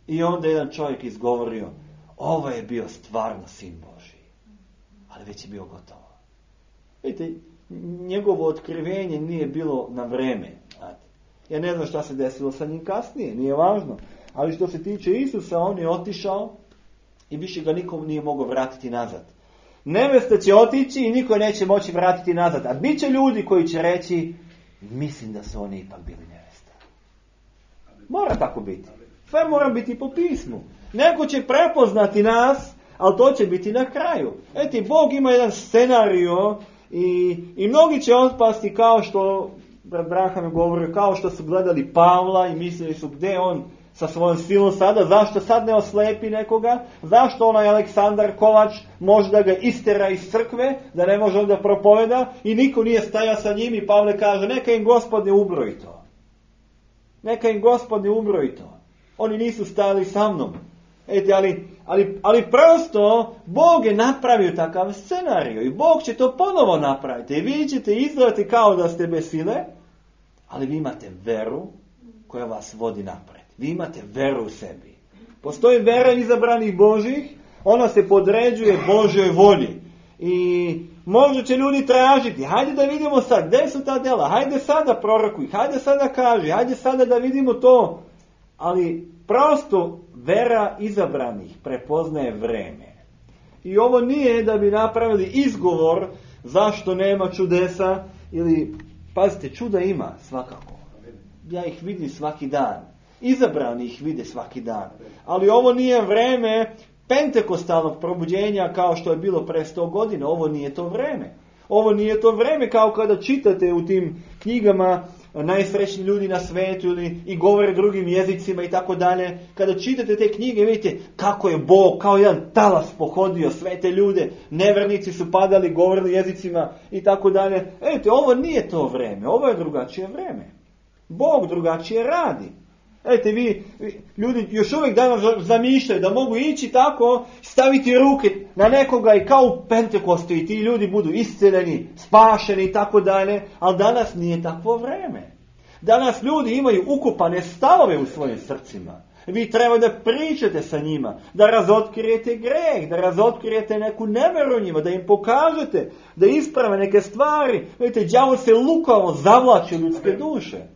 i onda jedan čovjek izgovorio, ovo je bio stvarno sin Božji. Ali već je bio gotovo. Vidite, njegovo otkrivenje nije bilo na vreme. Ja ne znam šta se desilo sa njim kasnije, nije važno. Ali što se tiče Isusa, on je otišao i više ga nikom nije mogao vratiti nazad. Nevesta će otići i niko neće moći vratiti nazad. A bit će ljudi koji će reći, mislim da su oni ipak bili nevesta. Mora tako biti. Sve mora biti po pismu. Neko će prepoznati nas, ali to će biti na kraju. Eti, Bog ima jedan scenario i, i mnogi će otpasti kao što Braham je govorio, kao što su gledali Pavla i mislili su gdje on sa svojom silom sada, zašto sad ne oslepi nekoga, zašto onaj Aleksandar Kovač može da ga istera iz crkve, da ne može da propoveda i niko nije stajao sa njim i Pavle kaže, neka im Gospod ne ubroji to. Neka im Gospod ne ubroji to. Oni nisu stajali sa mnom. Eti, ali, ali, ali prosto Bog je napravio takav scenarij i Bog će to ponovo napraviti i vi ćete izgledati kao da ste bez sile, ali vi imate veru koja vas vodi napred. Vi imate veru u sebi. Postoji vera izabranih Božih, ona se podređuje Božjoj volji. I možda će ljudi tražiti, hajde da vidimo sad, gdje su ta dela, hajde sada prorokuj, hajde sada kaži, hajde sada da vidimo to. Ali prosto vera izabranih prepoznaje vreme. I ovo nije da bi napravili izgovor zašto nema čudesa ili Pazite, čuda ima svakako. Ja ih vidim svaki dan. Izabrani ih vide svaki dan. Ali ovo nije vreme pentekostalnog probuđenja kao što je bilo pre sto godina. Ovo nije to vreme. Ovo nije to vreme kao kada čitate u tim knjigama najsrećni ljudi na svetu ili i govore drugim jezicima i tako dalje. Kada čitate te knjige vidite kako je Bog kao jedan talas pohodio sve te ljude. Nevernici su padali, govorili jezicima i tako dalje. Vidite, ovo nije to vreme. Ovo je drugačije vreme. Bog drugačije radi. Vidite, vi, ljudi još uvijek danas zamišljaju da mogu ići tako, staviti ruke na nekoga i kao u Pentekostu i ti ljudi budu isceljeni, spašeni i tako dalje, ali danas nije takvo vreme. Danas ljudi imaju ukopane stavove u svojim srcima. Vi treba da pričate sa njima, da razotkrijete greh, da razotkrijete neku neveru njima, da im pokažete, da isprave neke stvari. Vidite, đavo se lukavo zavlači ljudske duše.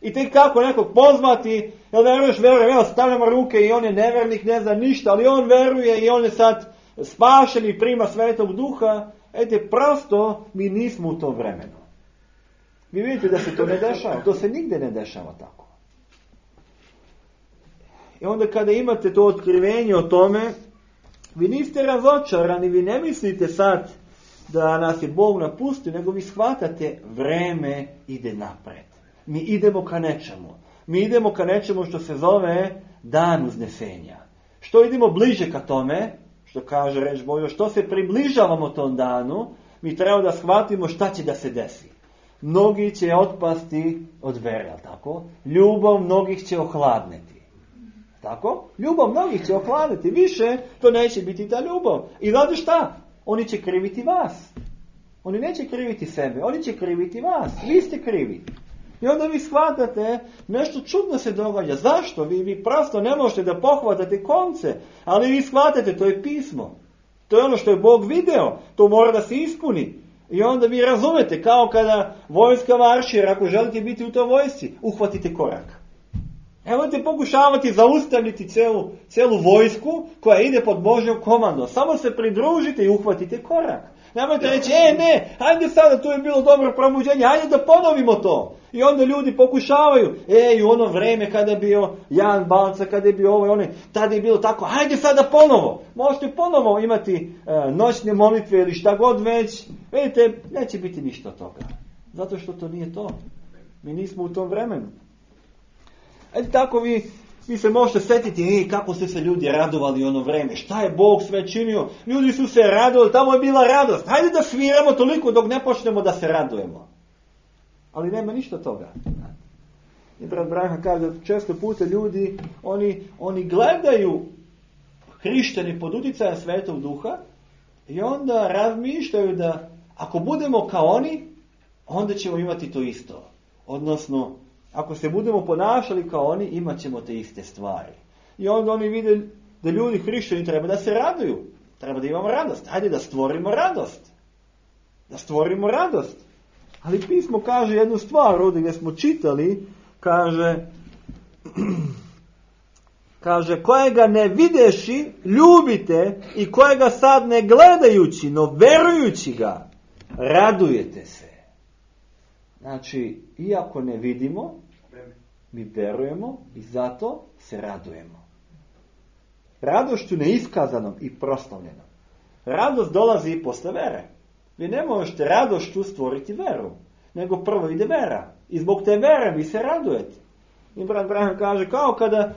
I tek kako nekog pozvati, jel veruješ, veruje, evo stavljamo ruke i on je nevernik, ne zna ništa, ali on veruje i on je sad spašen i prima Svetog Duha. Ete, prosto mi nismo u tom vremenu. Vi vidite da se to ne dešava, to se nigde ne dešava tako. I onda kada imate to otkrivenje o tome, vi niste razočarani, vi ne mislite sad da nas je Bog napustio, nego vi shvatate vreme ide napred. Mi idemo ka nečemu. Mi idemo ka nečemu što se zove dan uznesenja. Što idemo bliže ka tome, što kaže reč Božja, što se približavamo tom danu, mi treba da shvatimo šta će da se desi. Mnogi će otpasti od vere, tako? Ljubav mnogih će ohladneti. Tako? Ljubav mnogih će ohladneti. Više to neće biti ta ljubav. I znate šta? Oni će kriviti vas. Oni neće kriviti sebe, oni će kriviti vas. Vi ste krivi. I onda vi shvatate, nešto čudno se događa. Zašto? Vi, vi prosto ne možete da pohvatate konce, ali vi shvatate, to je pismo. To je ono što je Bog video, to mora da se ispuni. I onda vi razumete, kao kada vojska maršira, ako želite biti u toj vojsci, uhvatite korak. Nemojte pokušavati zaustaviti celu, celu vojsku koja ide pod Božjom komandom. Samo se pridružite i uhvatite korak. Nemojte reći, e ne, hajde sada, tu je bilo dobro probuđenje, hajde da ponovimo to. I onda ljudi pokušavaju, e, u ono vreme kada je bio Jan Balca, kada je bio ovo i ono, tada je bilo tako, hajde sada ponovo. Možete ponovo imati e, noćne molitve ili šta god već. Vidite, neće biti ništa od toga. Zato što to nije to. Mi nismo u tom vremenu. Eto tako vi, vi se možete sjetiti, ej, kako su se ljudi radovali ono vreme, šta je Bog sve činio, ljudi su se radovali, tamo je bila radost, hajde da sviramo toliko dok ne počnemo da se radujemo. Ali nema ništa toga. I brat Branha kaže, često puta ljudi, oni, oni gledaju hrišćani pod utjecajem Svetog Duha i onda razmišljaju da ako budemo kao oni, onda ćemo imati to isto. Odnosno, ako se budemo ponašali kao oni, imat ćemo te iste stvari. I onda oni vide da ljudi hrišćani treba da se raduju. Treba da imamo radost. Hajde da stvorimo radost. Da stvorimo radost. Ali pismo kaže jednu stvar, ovdje gdje smo čitali, kaže, kaže, kojega ne videši, ljubite i kojega sad ne gledajući, no verujući ga, radujete se. Znači, iako ne vidimo, mi verujemo i zato se radujemo. Radošću neiskazanom i proslavljenom. Radost dolazi i posle vere. Vi ne možete radošću stvoriti veru, nego prvo ide vera. I zbog te vere vi se radujete. I brat Branham kaže, kao kada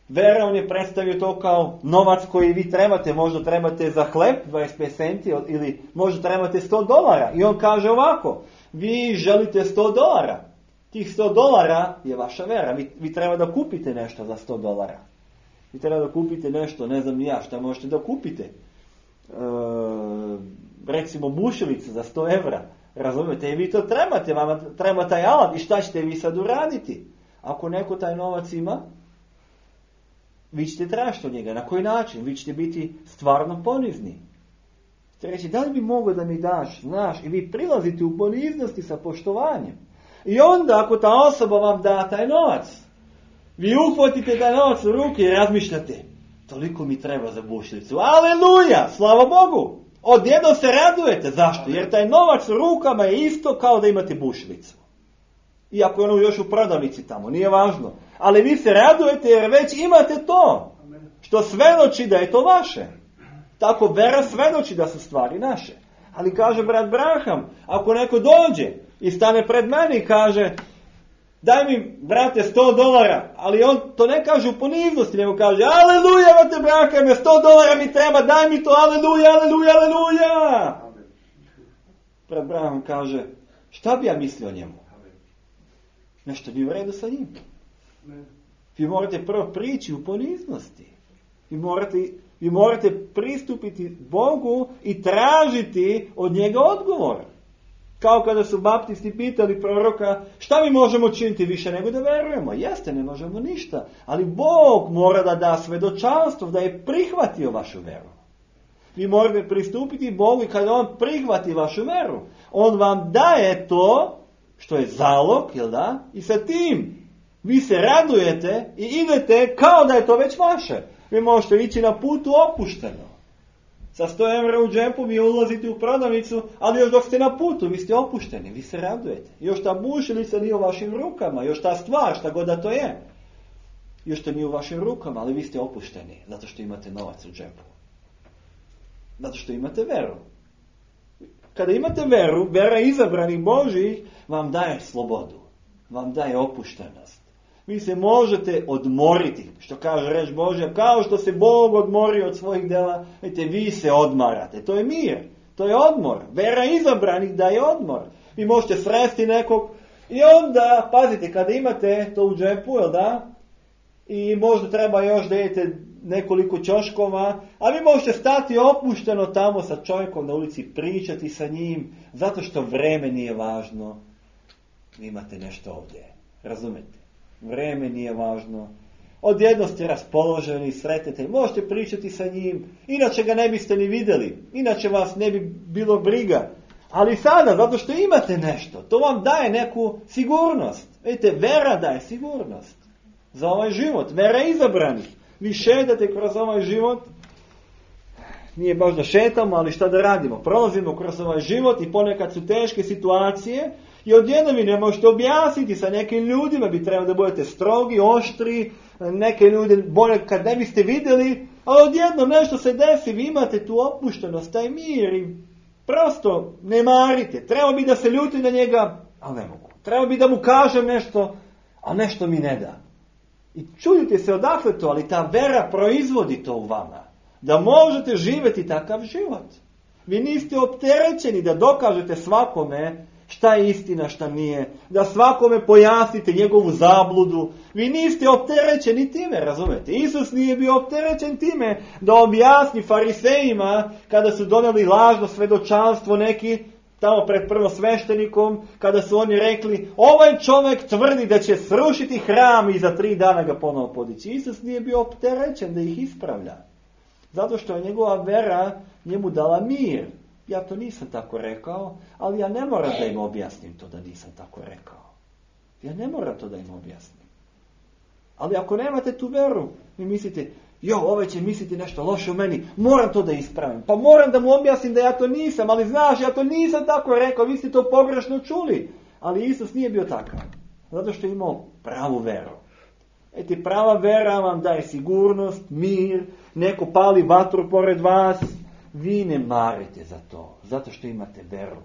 vera, on je predstavio to kao novac koji vi trebate, možda trebate za hleb dvadeset pet centi ili možda trebate sto dolara. I on kaže ovako, vi želite sto dolara. Tih sto dolara je vaša vera. Vi, vi treba da kupite nešto za sto dolara. Vi treba da kupite nešto, ne znam ni ja, šta možete da kupite. E, recimo bušilicu za sto evra. Razumijete? I vi to trebate, vama treba taj alat. I šta ćete vi sad uraditi? Ako neko taj novac ima, vi ćete tražiti od njega. Na koji način? Vi ćete biti stvarno ponizni. Ćete reći, da li bi mogao da mi daš, znaš, i vi prilazite u poniznosti sa poštovanjem. I onda, ako ta osoba vam da taj novac, vi uhvatite taj novac u ruke i razmišljate, toliko mi treba za bušilicu. Aleluja! Slava Bogu! Odjednom se radujete. Zašto? Jer taj novac u rukama je isto kao da imate bušilicu. Iako je ono još u prodavnici tamo, nije važno. Ali vi se radujete jer već imate to. Što svedoči da je to vaše. Tako vera svedoči da su stvari naše. Ali kaže brat Branham, ako neko dođe i stane pred mene i kaže, daj mi, brate, sto dolara, ali on to ne kaže u poniznosti, nego kaže, aleluja, brate Branham, sto dolara mi treba, daj mi to, aleluja, aleluja, aleluja. Brat Branham kaže, šta bi ja mislio o njemu? Nešto bi u redu sa njim. Vi morate prvo prići u poniznosti. Vi morate, vi morate pristupiti Bogu i tražiti od njega odgovor. Kao kada su baptisti pitali proroka, šta mi možemo činiti više nego da verujemo? Jeste, ne možemo ništa. Ali Bog mora da da svedočanstvo, da je prihvatio vašu veru. Vi morate pristupiti Bogu i kada On prihvati vašu veru, On vam daje to što je zalog, jel da? I sa tim vi se radujete i idete kao da je to već vaše. Vi možete ići na putu opušteno. Sa sto evra u džepu vi ulazite u prodavnicu, ali još dok ste na putu, vi ste opušteni, vi se radujete. Još ta bušilica nije u vašim rukama, još ta stvar, šta god da to je. Još to nije u vašim rukama, ali vi ste opušteni, zato što imate novac u džepu. Zato što imate veru. Kada imate veru, vera izabranih Božih vam daje slobodu, vam daje opuštenost. Vi se možete odmoriti, što kaže reč Božja, kao što se Bog odmori od svojih dela, vidite, vi se odmarate. To je mir, to je odmor. Vera izabranih daje odmor. Vi možete sresti nekog i onda, pazite, kada imate to u džepu, jel da? I možda treba još da idete nekoliko ćoškova, a vi možete stati opušteno tamo sa čovjekom na ulici, pričati sa njim, zato što vreme nije važno. Vi imate nešto ovdje, razumete? Vreme nije važno. Odjedno ste raspoloženi, sretete, možete pričati sa njim, inače ga ne biste ni vidjeli, inače vas ne bi bilo briga. Ali sada, zato što imate nešto, to vam daje neku sigurnost. Vidite, vera daje sigurnost za ovaj život, vera izabranih. Vi šetate kroz ovaj život, nije baš da šetamo, ali šta da radimo? Prolazimo kroz ovaj život i ponekad su teške situacije i odjednom vi ne možete objasniti sa nekim ljudima, bi trebalo da budete strogi, oštri, neke ljude bolje kad ne biste vidjeli, a odjednom nešto se desi, vi imate tu opuštenost, taj mir i prosto ne marite. Treba bi da se ljuti na njega, ali ne mogu. Treba bi da mu kažem nešto, a nešto mi ne da. I čudite se odakle to, ali ta vera proizvodi to u vama. Da možete živjeti takav život. Vi niste opterećeni da dokažete svakome šta je istina, šta nije. Da svakome pojasnite njegovu zabludu. Vi niste opterećeni time, razumete? Isus nije bio opterećen time da objasni farisejima kada su donijeli lažno svedočanstvo neki tamo pred prvosveštenikom, kada su oni rekli, ovaj čovjek tvrdi da će srušiti hram i za tri dana ga ponovo podići. Isus nije bio opterećen da ih ispravlja. Zato što je njegova vera njemu dala mir. Ja to nisam tako rekao, ali ja ne moram da im objasnim to da nisam tako rekao. Ja ne moram to da im objasnim. Ali ako nemate tu veru, vi mislite, jo, ovaj će misliti nešto loše u meni, moram to da ispravim. Pa moram da mu objasnim da ja to nisam, ali znaš, ja to nisam tako rekao, vi ste to pogrešno čuli. Ali Isus nije bio takav. Zato što je imao pravu veru. Eti, prava vera vam daje sigurnost, mir, neko pali vatru pored vas, vi ne marite za to, zato što imate veru.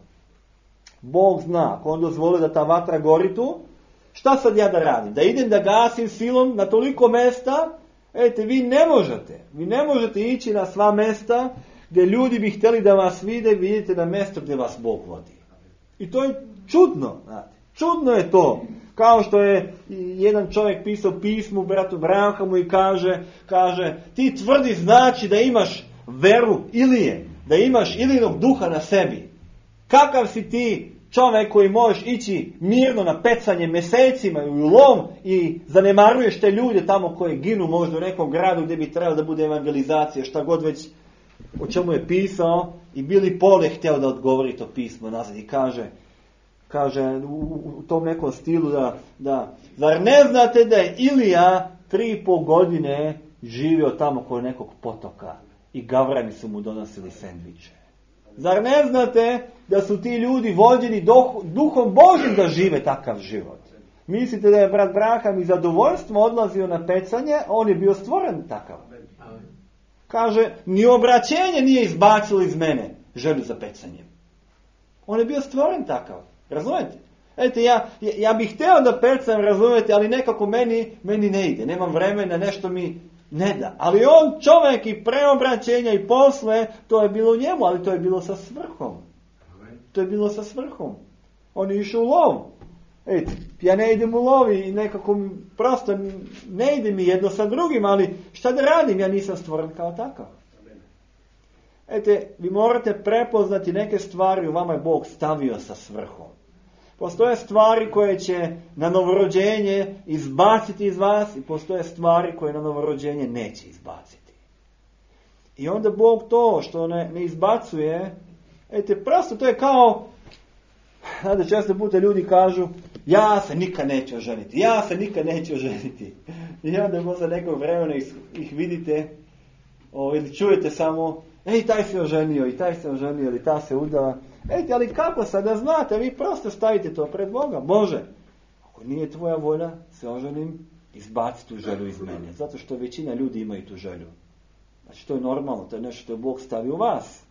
Bog zna, ako on dozvoli da ta vatra gori tu, šta sad ja da radim? Da idem da gasim silom na toliko mesta? Ete, vi ne možete. Vi ne možete ići na sva mesta gdje ljudi bi htjeli da vas vide, vidite na mjesto gdje vas Bog vodi. I to je čudno, znate. Čudno je to. Kao što je jedan čovjek pisao pismu bratu Branhamu i kaže, kaže, ti tvrdi znači da imaš veru Ilije, da imaš Ilijinog duha na sebi. Kakav si ti čovjek koji možeš ići mirno na pecanje mjesecima i u lom i zanemaruješ te ljude tamo koji ginu možda u nekom gradu gdje bi trebalo da bude evangelizacija, šta god već o čemu je pisao, i Billy Paul je htio da odgovori to pismo nazad i kaže, kaže u, u tom nekom stilu da, da zar ne znate da je Ilija tri i pol godine živio tamo kod nekog potoka i gavrani su mu donosili sendviče. Zar ne znate da su ti ljudi vođeni duhom Božjim da žive takav život? Mislite da je brat Braham iz zadovoljstva odlazio na pecanje, on je bio stvoren takav. Kaže, ni obraćenje nije izbacilo iz mene želju za pecanjem. On je bio stvoren takav. Razumijete? Ete, ja, ja, ja bih htio da pecam, razumijete, ali nekako meni, meni ne ide. Nemam vremena, nešto mi ne da. Ali on čovjek i preobraćenja i posle, to je bilo u njemu, ali to je bilo sa svrhom. To je bilo sa svrhom. On je išao u lov. Ejte, ja ne idem u lov i nekako prosto ne ide mi jedno sa drugim, ali šta da radim, ja nisam stvoren kao takav. Ejte, vi morate prepoznati neke stvari, u vama je Bog stavio sa svrhom. Postoje stvari koje će na novorođenje izbaciti iz vas i postoje stvari koje na novorođenje neće izbaciti. I onda Bog to što ne, ne izbacuje, ejte, prosto to je kao, znate, često puta ljudi kažu, ja se nikad neću oženiti, ja se nikad neću oženiti. I onda posle nekog vremena ih, ih vidite, o, ili čujete samo, ej, taj se oženio, i taj se oženio, ili ta se udala. Ejte, ali kako sad da znate, vi prosto stavite to pred Boga. Bože, ako nije tvoja volja, se oženim, izbaci tu želju iz mene. Zato što većina ljudi imaju tu želju. Znači, to je normalno, to je nešto što je Bog stavio u vas.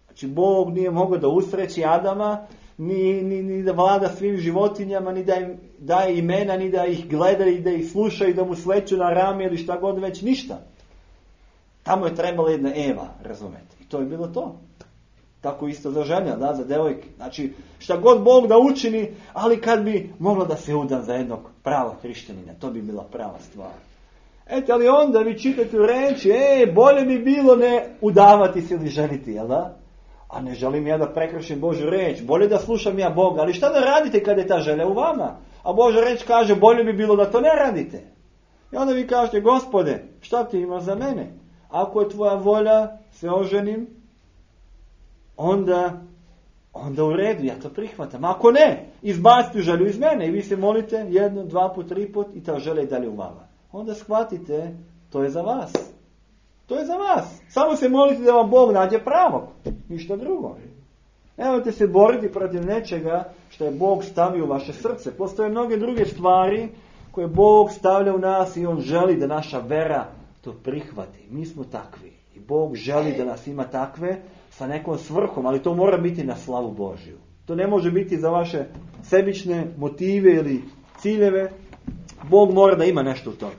Znači, Bog nije mogao da usreći Adama, ni, ni, ni da vlada svim životinjama, ni da im daje imena, ni da ih gleda i da ih sluša i da mu sleću na rame ili šta god već, ništa. Tamo je trebala jedna Eva, razumete. I to je bilo to. Tako isto za žena, da, za devojke. Znači, šta god Bog da učini, ali kad bi moglo da se udam za jednog pravog hrišćanina, to bi bila prava stvar. Eto, ali onda vi čitate u reči, e, bolje bi bilo ne udavati se ili ženiti, jel da? A ne želim ja da prekršim Božju reč, bolje da slušam ja Boga, ali šta da radite kad je ta želja u vama? A Božja reč kaže, bolje bi bilo da to ne radite. I onda vi kažete, Gospode, šta ti imaš za mene? Ako je tvoja volja, se oženim, onda, onda u redu, ja to prihvatam. Ako ne, izbacite želju iz mene i vi se molite jedno, dva put, tri put i ta želja je dalje u vama. Onda shvatite, to je za vas. To je za vas. Samo se molite da vam Bog nađe pravog. Ništa drugo. Nemojte se boriti protiv nečega što je Bog stavio u vaše srce. Postoje mnoge druge stvari koje Bog stavlja u nas i On želi da naša vera to prihvati. Mi smo takvi. I Bog želi da nas ima takve sa nekom svrhom, ali to mora biti na slavu Božju. To ne može biti za vaše sebične motive ili ciljeve. Bog mora da ima nešto u tome.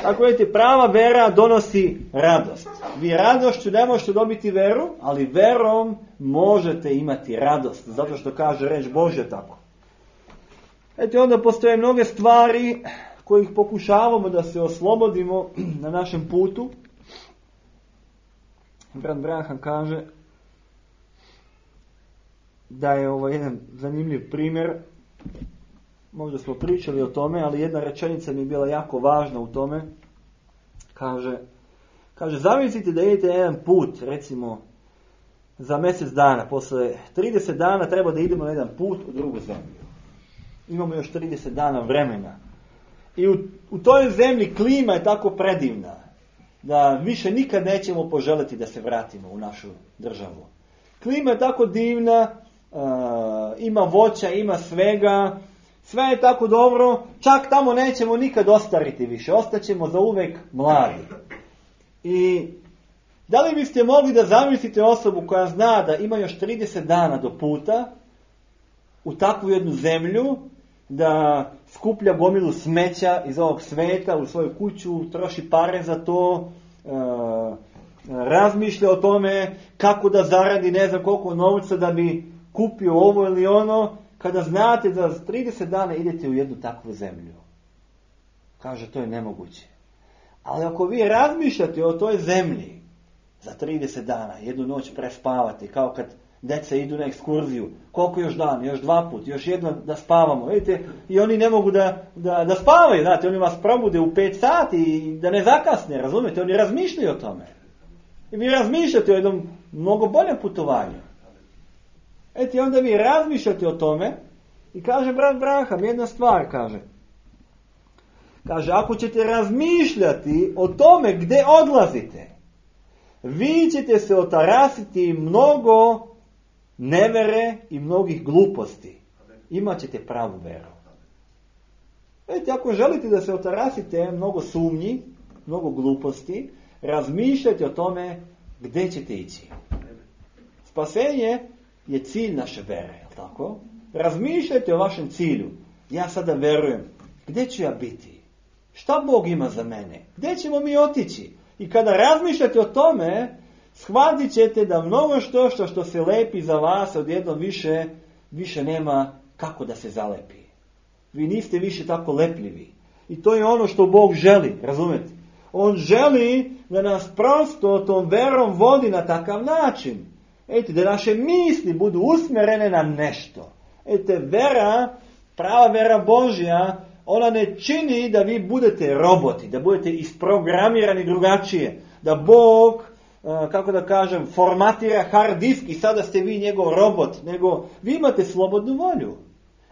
Tako vidite, prava vera donosi radost. Vi radošću ne možete dobiti veru, ali verom možete imati radost. Zato što kaže reč Božja tako. Eto, onda postoje mnoge stvari kojih pokušavamo da se oslobodimo na našem putu. Brat Braham kaže da je ovo jedan zanimljiv primjer. Možda smo pričali o tome, ali jedna rečenica mi je bila jako važna u tome. Kaže, kaže zamislite da idete jedan put, recimo, za mjesec dana. Posle trideset dana treba da idemo na jedan put u drugu zemlju. Imamo još trideset dana vremena. I u, u toj zemlji klima je tako predivna da više nikad nećemo poželiti da se vratimo u našu državu. Klima je tako divna, uh, ima voća, ima svega, sve je tako dobro, čak tamo nećemo nikad ostariti više, ostaćemo za uvek mladi. I da li biste mogli da zamislite osobu koja zna da ima još trideset dana do puta u takvu jednu zemlju, da skuplja gomilu smeća iz ovog sveta u svoju kuću, troši pare za to, e, razmišlja o tome kako da zaradi ne znam koliko novca da bi kupio ovo ili ono, kada znate da za trideset dana idete u jednu takvu zemlju. Kaže, to je nemoguće. Ali ako vi razmišljate o toj zemlji za trideset dana, jednu noć prespavate, kao kad deca idu na ekskurziju, koliko još dan, još dva put, još jedno da spavamo, vidite, i oni ne mogu da, da, da spavaju, znate, oni vas probude u pet sati i da ne zakasne, razumijete, oni razmišljaju o tome. I vi razmišljate o jednom mnogo boljem putovanju. Eti, onda vi razmišljate o tome i kaže brat Braham, jedna stvar, kaže. Kaže, ako ćete razmišljati o tome gdje odlazite, vi ćete se otarasiti mnogo nevere i mnogih gluposti. Imaćete pravu veru. Vidite, ako želite da se otarasite mnogo sumnji, mnogo gluposti, razmišljajte o tome gdje ćete ići. Spasenje je cilj naše vere, je li tako? Razmišljajte o vašem cilju. Ja sada verujem, gdje ću ja biti? Šta Bog ima za mene? Gdje ćemo mi otići? I kada razmišljate o tome, shvatit ćete da mnogo što što, što se lepi za vas odjednom više, više nema kako da se zalepi. Vi niste više tako lepljivi. I to je ono što Bog želi, razumete? On želi da nas prosto tom verom vodi na takav način. Ejte, da naše misli budu usmjerene na nešto. Ejte, vera, prava vera Božja, ona ne čini da vi budete roboti, da budete isprogramirani drugačije. Da Bog, kako da kažem, formatira hard disk i sada ste vi njegov robot. Nego vi imate slobodnu volju.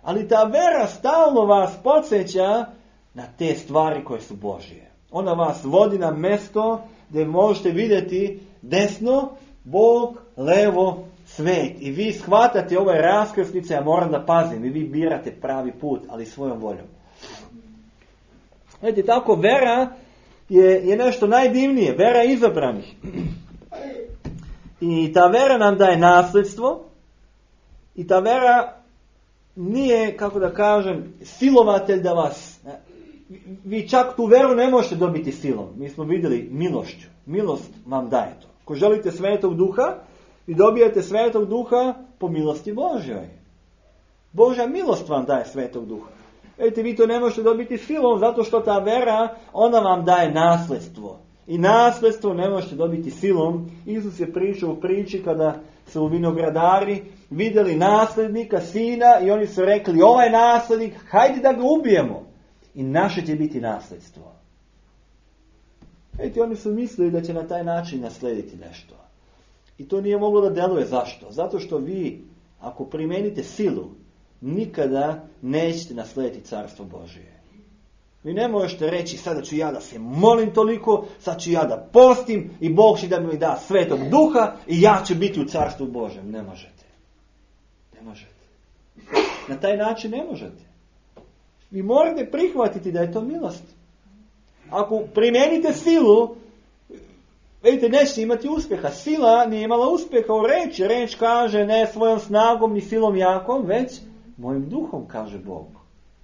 Ali ta vera stalno vas podsjeća na te stvari koje su Božje. Ona vas vodi na mjesto gdje možete vidjeti desno, Bog, levo, svet. I vi shvatate ove raskrsnice, ja moram da pazim, i vi birate pravi put, ali svojom voljom. Vidite, tako vera je, je nešto najdivnije, vera izabranih. I ta vera nam daje nasljedstvo i ta vera nije, kako da kažem, silovatelj da vas... Vi čak tu veru ne možete dobiti silom. Mi smo vidjeli milošću. Milost vam daje to. Ako želite Svetog Duha, vi dobijete Svetog Duha po milosti Božjoj. Božja milost vam daje Svetog Duha. Vidite, vi to ne možete dobiti silom, zato što ta vera, ona vam daje nasljedstvo. I nasljedstvo ne možete dobiti silom. Isus je pričao u priči kada su vinogradari vidjeli nasljednika, sina, i oni su rekli, ovaj nasljednik, hajde da ga ubijemo. I naše će biti nasljedstvo. Vidite, oni su mislili da će na taj način naslediti nešto. I to nije moglo da deluje. Zašto? Zato što vi, ako primenite silu, nikada nećete naslediti Carstvo Božije. Vi ne možete reći, sada ću ja da se molim toliko, sad ću ja da postim i Bog će da mi da Svetog Duha i ja ću biti u Carstvu Božjem. Ne možete. Ne možete. Na taj način ne možete. Vi morate prihvatiti da je to milost. Ako primijenite silu, vidite, nećete imati uspjeha. Sila nije imala uspjeha u reči. Reč kaže ne svojom snagom ni silom jakom, već mojim duhom, kaže Bog.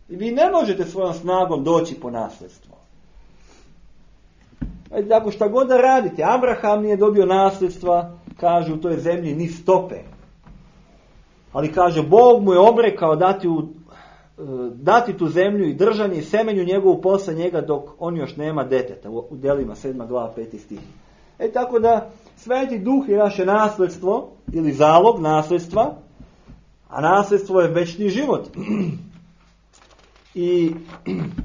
I vi ne možete svojom snagom doći po nasljedstvo. Vidite, ako šta god da radite, Abraham nije dobio nasljedstva, kaže u toj zemlji ni stope. Ali kaže, Bog mu je obrekao dati u dati tu zemlju i držanje i semenju njegovu posle njega dok on još nema deteta. U Delima sedma glava peti stih. E tako da Sveti Duh je naše nasljedstvo ili zalog nasljedstva, a nasljedstvo je večni život. I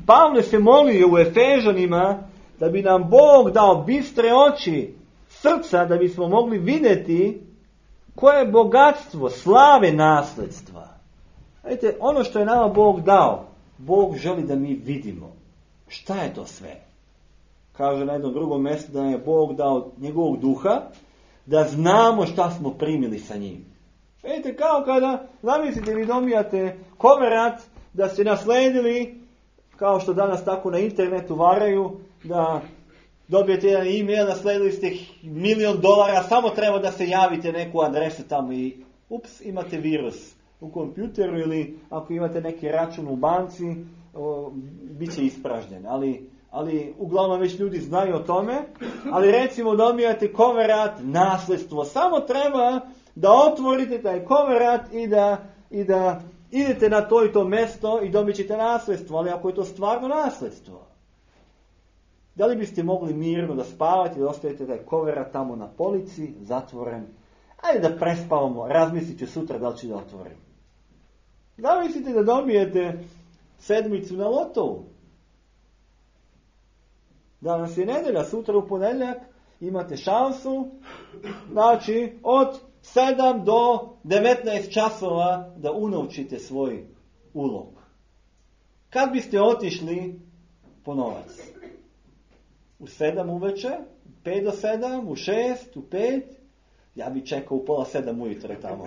Pavle se molio u Efežanima da bi nam Bog dao bistre oči srca da bismo mogli vidjeti koje je bogatstvo slave nasljedstva. Vidite, ono što je nama Bog dao, Bog želi da mi vidimo. Šta je to sve? Kaže na jednom drugom mjestu da je Bog dao njegovog duha, da znamo šta smo primili sa njim. Vidite, kao kada, zamislite, vi dobijate koverat da ste nasledili, kao što danas tako na internetu varaju, da dobijete jedan e-mail, nasledili ste milion dolara, samo treba da se javite neku adresu tamo i ups, imate virus u kompjuteru ili ako imate neki račun u banci, o, bit će ispražnjen. Ali, ali uglavnom već ljudi znaju o tome. Ali recimo dobijate koverat, nasljedstvo. Samo treba da otvorite taj koverat i da, i da idete na to i to mjesto i dobit ćete nasljedstvo. Ali ako je to stvarno nasljedstvo, da li biste mogli mirno da spavate i da ostavite taj koverat tamo na polici, zatvoren? Ajde da prespavamo, razmislit ću sutra da li ću da otvorim. Da mislite da dobijete sedmicu na lotovu? Danas je nedelja, sutra u ponedjeljak imate šansu, znači od sedam do devetnaest časova da unovčite svoj ulog. Kad biste otišli po novac? u sedam uveče, u pet do sedam, u šest, u pet, ja bi čekao u pola sedam ujutro tamo.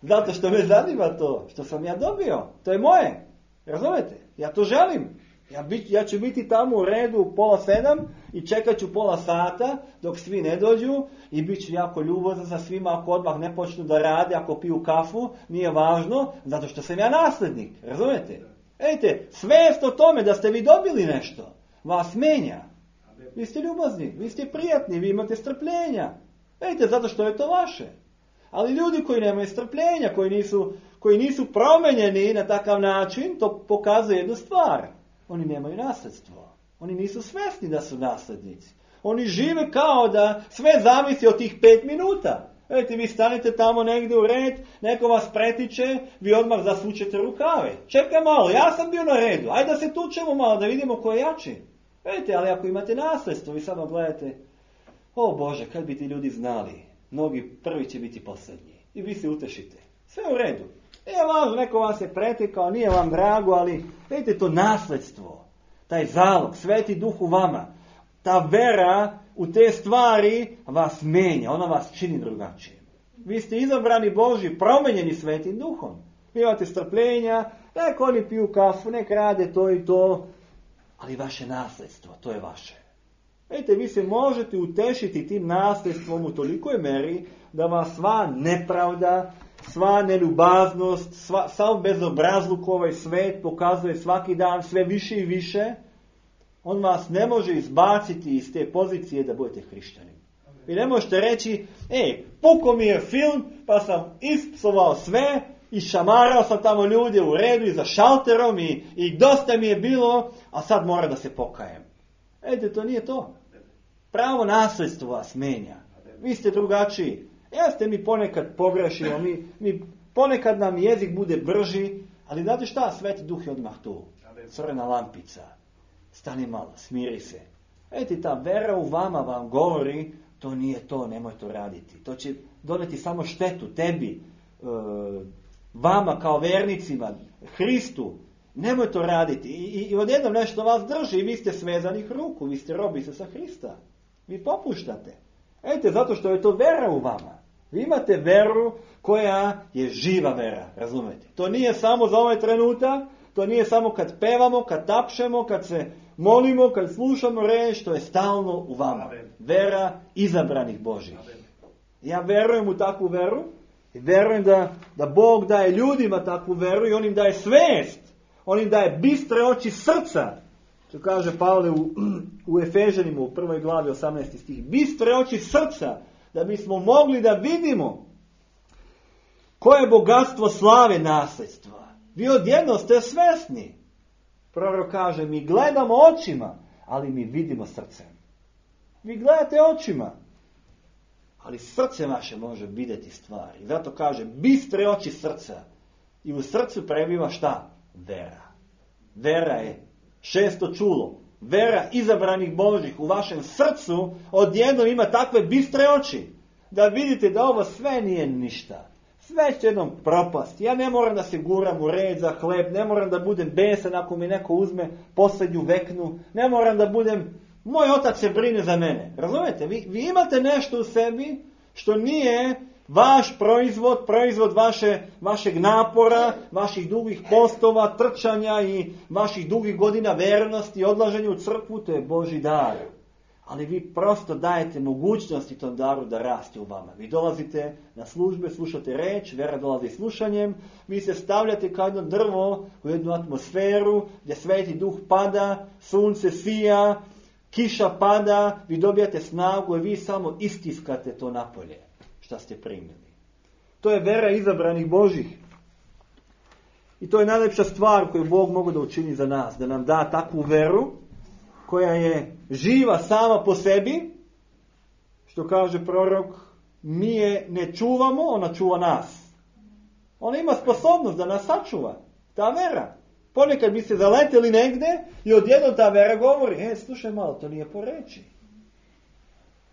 Zato što me zanima to, što sam ja dobio. To je moje. Razumete? Ja to želim. Ja, bit, ja ću biti tamo u redu u pola sedam i čekat ću pola sata dok svi ne dođu i bit ću jako ljubazan sa svima ako odmah ne počnu da rade, ako piju kafu, nije važno, zato što sam ja naslednik. Razumete? Ejte, svest o tome da ste vi dobili nešto vas menja. Vi ste ljubazni, vi ste prijatni, vi imate strpljenja. Ejte, zato što je to vaše. Ali ljudi koji nemaju strpljenja, koji nisu, koji nisu promenjeni na takav način, to pokazuje jednu stvar. Oni nemaju nasljedstvo. Oni nisu svjesni da su naslednici. Oni žive kao da sve zavisi od tih pet minuta. Vidite, vi stanete tamo negdje u red, neko vas pretiče, vi odmah zasučete rukave. Čekaj malo, ja sam bio na redu, ajde da se tučemo malo, da vidimo ko je jači. Vidite, ali ako imate nasljedstvo, vi samo gledate, o Bože, kad bi ti ljudi znali, mnogi prvi će biti posljednji. I vi se utešite. Sve u redu. Nije važno, neko vas je pretekao, nije vam drago, ali vidite to nasljedstvo, taj zalog, Sveti Duh u vama, ta vera u te stvari vas menja, ona vas čini drugačije. Vi ste izabrani Božji, promenjeni Svetim Duhom. Vi imate strpljenja, nek oni piju kafu, nek rade to i to, ali vaše nasljedstvo, to je vaše. Vidite, vi se možete utešiti tim nasljedstvom u tolikoj meri da vas sva nepravda, sva neljubaznost, sva, sav bezobrazluk ovaj svet pokazuje svaki dan sve više i više, on vas ne može izbaciti iz te pozicije da budete hrišćanin. Vi ne možete reći, ej, puko mi je film, pa sam ispsovao sve i šamarao sam tamo ljude u redu i za šalterom i, i dosta mi je bilo, a sad mora da se pokajem. Ejte, to nije to. Pravo nasljedstvo vas menja. Vi ste drugačiji. Jeste, mi ponekad pogrešimo, mi, mi ponekad nam jezik bude brži, ali znate šta, Sveti Duh je odmah tu. Crvena lampica. Stani malo, smiri se. Ejte, ta vera u vama vam govori, to nije to, nemoj to raditi. To će doneti samo štetu tebi, vama kao vernicima, Hristu. Nemoj to raditi. I, i, i odjednom nešto vas drži i vi ste svezanih ruku, vi ste robi se sa Hrista. Vi popuštate. Ejte, zato što je to vera u vama. Vi imate veru koja je živa vera, razumete? To nije samo za ovaj trenutak, to nije samo kad pevamo, kad tapšemo, kad se molimo, kad slušamo reč, to je stalno u vama. Vera izabranih Božih. Ja verujem u takvu veru i verujem da, da Bog daje ljudima takvu veru i on im daje svest. On im daje bistre oči srca. Što kaže Pavle u, u Efežanima u prvoj glavi osamnaesti stih. Bistre oči srca, da bismo mogli da vidimo koje je bogatstvo slave nasljedstva. Vi odjedno ste svesni. Prorok kaže, mi gledamo očima, ali mi vidimo srcem. Vi gledate očima, ali srce vaše može vidjeti stvari. Zato kaže, bistre oči srca. I u srcu prebiva šta? Vera. Vera je šesto čulo. Vera izabranih Božih u vašem srcu odjednom ima takve bistre oči da vidite da ovo sve nije ništa. Sve će jednom propasti. Ja ne moram da se guram u red za hleb, ne moram da budem besan ako mi neko uzme posljednju veknu, ne moram da budem, moj otac se brine za mene. Razumete? Vi, vi imate nešto u sebi što nije vaš proizvod, proizvod vaše, vašeg napora, vaših dugih postova, trčanja i vaših dugih godina vernosti, odlaženja u crkvu, to je Božji dar. Ali vi prosto dajete mogućnosti tom daru da raste u vama. Vi dolazite na službe, slušate reč, vera dolazi slušanjem, vi se stavljate kao jedno drvo u jednu atmosferu gdje Sveti Duh pada, sunce sija, kiša pada, vi dobijate snagu i vi samo istiskate to napolje šta ste primili. To je vera izabranih Božih. I to je najlepša stvar koju Bog mogu da učini za nas, da nam da takvu veru koja je živa sama po sebi, što kaže prorok, mi je ne čuvamo, ona čuva nas. Ona ima sposobnost da nas sačuva. Ta vera. Ponekad bi se zaleteli negde i odjednom ta vera govori, e, slušaj malo, to nije po reči.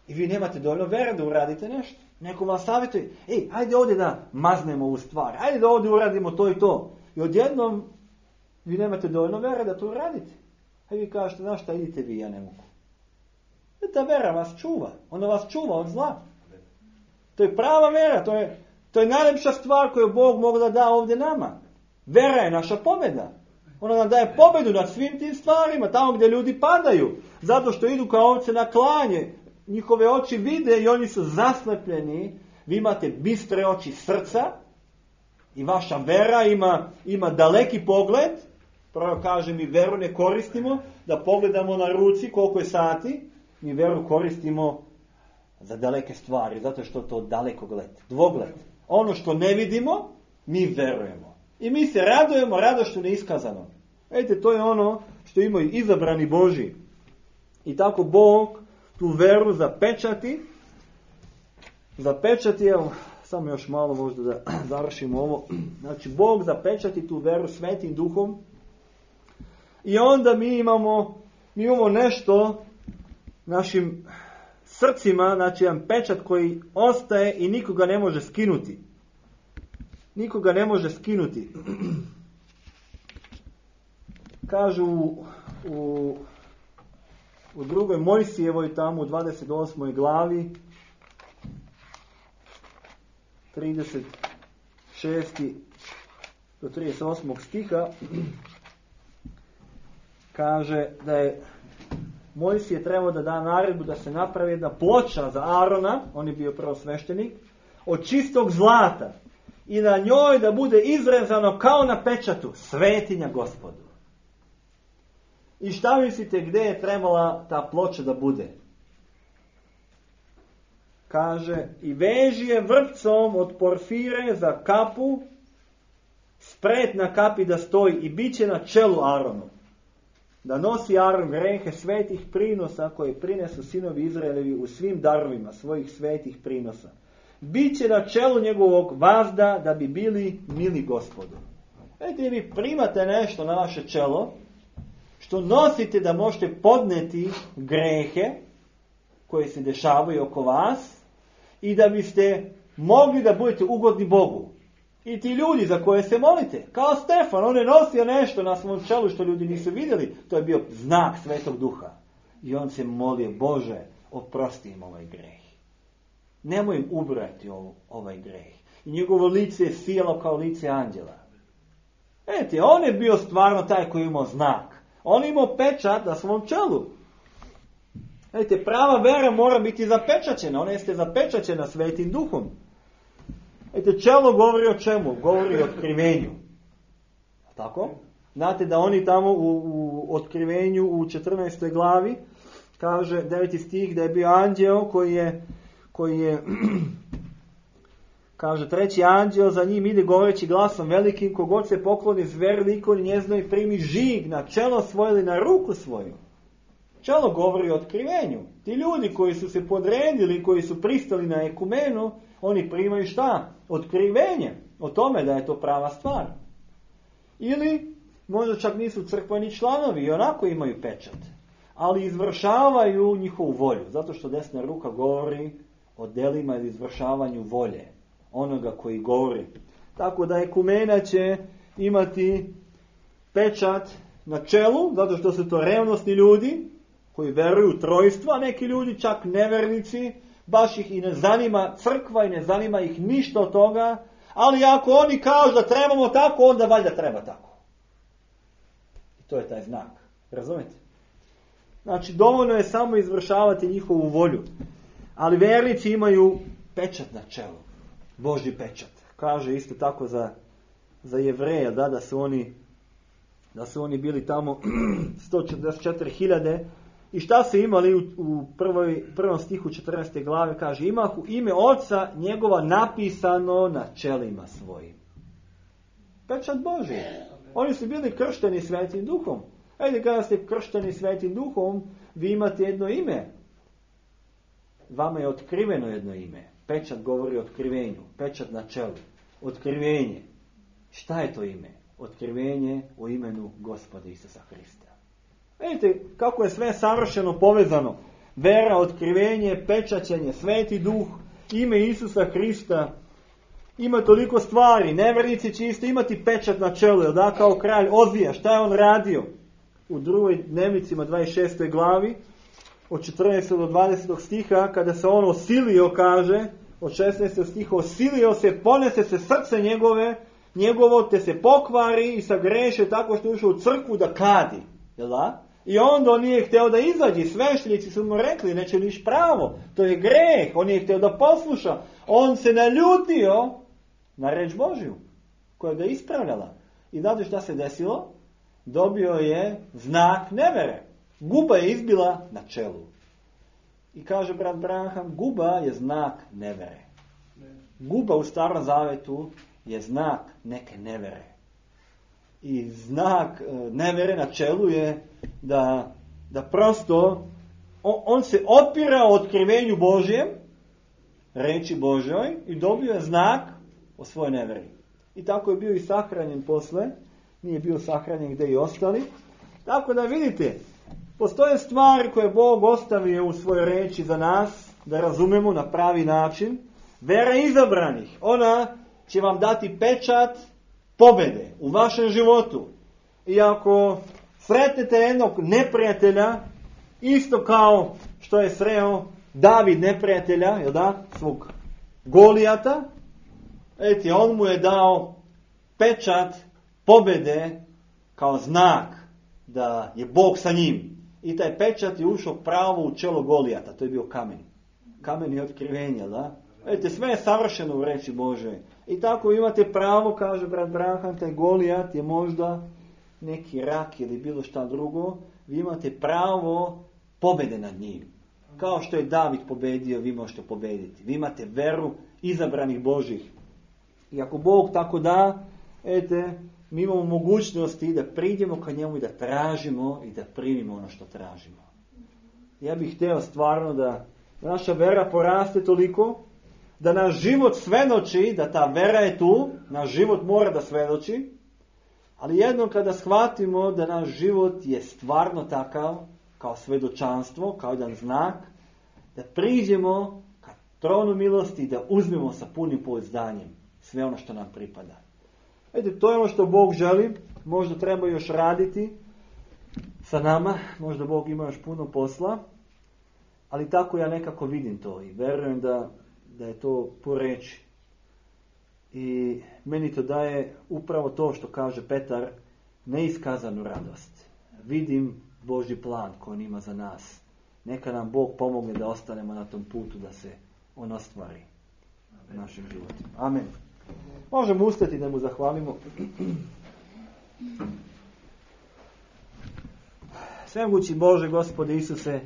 I vi nemate dovoljno vere da uradite nešto. Neko vam savjetuje, ej, ajde ovdje da maznemo ovu stvar, ajde da ovdje uradimo to i to. I odjednom vi nemate dovoljno vere da to uradite. A vi kažete, znaš šta, idite vi, ja ne mogu. Ta vera vas čuva. Ona vas čuva od zla. To je prava vera. To je, to je najlepša stvar koju Bog mogu da da ovdje nama. Vera je naša pobjeda. Ona nam daje pobjedu nad svim tim stvarima. Tamo gdje ljudi padaju. Zato što idu kao ovce na klanje. Njihove oči vide i oni su zaslepljeni. Vi imate bistre oči srca. I vaša vera ima, ima daleki pogled. Prvo kaže, mi veru ne koristimo da pogledamo na ruci koliko je sati. Mi veru koristimo za daleke stvari, zato što to daleko gled, dvogled. Ono što ne vidimo, mi verujemo. I mi se radujemo radošću neiskazano. Vidite, to je ono što imaju izabrani Božji. I tako Bog tu veru zapečati. Zapečati, evo, samo još malo možda da završimo ovo. Znači, Bog zapečati tu veru Svetim Duhom. I onda mi imamo, mi imamo nešto našim srcima, znači jedan pečat koji ostaje i nikoga ne može skinuti. Nikoga ne može skinuti. Kažu u, u, u drugoj Mojsijevoj tamo u dvadeset osmoj glavi trideset šesti do trideset osmog stiha kaže da je Mojsije trebao da da naredbu da se napravi jedna ploča za Arona, on je bio prvosveštenik, od čistog zlata i na njoj da bude izrezano kao na pečatu svetinja Gospodu. I šta mislite gdje je trebala ta ploča da bude? Kaže, i veži je vrpcom od porfire za kapu, spret na kapi da stoji i bit će na čelu Aronu. Da nosi Aron grehe svetih prinosa koje prinesu sinovi Izraelevi u svim darovima svojih svetih prinosa. Biće na čelu njegovog vazda da bi bili mili Gospodu. Vidite, vi primate nešto na vaše čelo što nosite da možete podneti grehe koje se dešavaju oko vas i da biste mogli da budete ugodni Bogu. I ti ljudi za koje se molite, kao Stefan, on je nosio nešto na svom čelu što ljudi nisu vidjeli, to je bio znak Svetog Duha. I on se molio, Bože, oprosti im ovaj greh. Nemoj im ubrati ovaj greh. I njegovo lice je sijalo kao lice anđela. Vidite, on je bio stvarno taj koji imao znak. On je imao pečat na svom čelu. Vidite, prava vera mora biti zapečaćena. Ona jeste zapečaćena Svetim Duhom. Vidite, čelo govori o čemu? Govori o otkrivenju. Tako? Znate da oni tamo u, u otkrivenju u četrnaestoj glavi kaže deveti stih da je bio anđeo koji je, koji je kaže treći anđeo za njim ide govoreći glasom velikim, kogod se pokloni zveri likoni njeznoj primi žig na čelo svoje ili na ruku svoju. Čelo govori o otkrivenju. Ti ljudi koji su se podredili, koji su pristali na ekumenu, oni primaju šta? Otkrivenje o tome da je to prava stvar. Ili možda čak nisu crkveni članovi i onako imaju pečat, ali izvršavaju njihovu volju, zato što desna ruka govori o delima ili izvršavanju volje onoga koji govori. Tako da ekumena će imati pečat na čelu, zato što su to revnosni ljudi koji veruju u trojstvo, a neki ljudi čak nevernici, baš ih i ne zanima crkva i ne zanima ih ništa od toga, ali ako oni kažu da trebamo tako, onda valjda treba tako. I to je taj znak. Razumete? Znači, dovoljno je samo izvršavati njihovu volju. Ali vernici imaju pečat na čelu. Božji pečat. Kaže isto tako za, za Jevreje, da, da su oni da su oni bili tamo sto četrdeset četiri hiljade. I šta su imali u, u prvoj, prvom stihu četrnaeste glave? Kaže, imahu ime Oca njegova napisano na čelima svojim. Pečat Božji. Oni su bili kršteni Svetim Duhom. Ajde, kada ste kršteni Svetim Duhom, vi imate jedno ime. Vama je otkriveno jedno ime. Pečat govori o otkrivenju. Pečat na čelu. Otkrivenje. Šta je to ime? Otkrivenje o imenu Gospoda Isusa Hrista. Vidite kako je sve savršeno povezano. Vera, otkrivenje, pečaćenje, Sveti Duh, ime Isusa Hrista. Ima toliko stvari. Nevernici će isto imati pečat na čelu. Jel da, kao kralj Ozija. Šta je on radio? U drugoj dnevnicima dvadeset šestoj glavi od četrnaestog do dvadesetog stiha, kada se on osilio, kaže, od šesnaestog stiha, osilio se, ponese se srce njegove, njegovo te se pokvari i sagreše tako što je ušao u crkvu da kadi. Jel da? I onda on nije htio da izađe, sveštenici su mu rekli, neće niš pravo, to je greh, on nije htio da posluša. On se naljutio na reč Božju, koja ga ispravljala. I znate šta se desilo? Dobio je znak nevere. Guba je izbila na čelu. I kaže brat Branham, guba je znak nevere. Guba u Starom Zavetu je znak neke nevere. I znak nevere na čelu je da, da prosto on, on se otpira otkrivenju Božjem, reči Božjoj, i dobio je znak o svojoj neveri. I tako je bio i sahranjen posle. Nije bio sahranjen gdje i ostali. Tako da vidite, postoje stvari koje Bog ostavio u svojoj reči za nas, da razumemo na pravi način. Vera izabranih, ona će vam dati pečat pobjede u vašem životu. I ako sretnete jednog neprijatelja, isto kao što je sreo David neprijatelja, jel da, svog Golijata, eti, on mu je dao pečat pobjede kao znak da je Bog sa njim. I taj pečat je ušao pravo u čelo Golijata, to je bio kamen. Kamen je otkrivenja, da? Vidite, sve je savršeno u reči Božoj. I tako imate pravo, kaže brat Branham, taj Golijat je možda neki rak ili bilo šta drugo. Vi imate pravo pobjede nad njim. Kao što je David pobedio, vi možete pobediti. Vi imate veru izabranih Božih. I ako Bog tako da, ete, mi imamo mogućnosti da priđemo ka njemu i da tražimo i da primimo ono što tražimo. Ja bih htio stvarno da naša vera poraste toliko, da naš život svedoči, da ta vera je tu, naš život mora da svedoči, ali jednom kada shvatimo da naš život je stvarno takav, kao svedočanstvo, kao jedan znak, da priđemo ka tronu milosti i da uzmemo sa punim pouzdanjem sve ono što nam pripada. Vidite, to je ono što Bog želi, možda treba još raditi sa nama, možda Bog ima još puno posla, ali tako ja nekako vidim to i verujem da, da je to po reči. I meni to daje upravo to što kaže Petar, neiskazanu radost. Vidim Božji plan koji on ima za nas. Neka nam Bog pomogne da ostanemo na tom putu, da se on ostvari u našim životima. Amen. Možemo ustati da mu zahvalimo. Svemogući Bože, Gospode Isuse,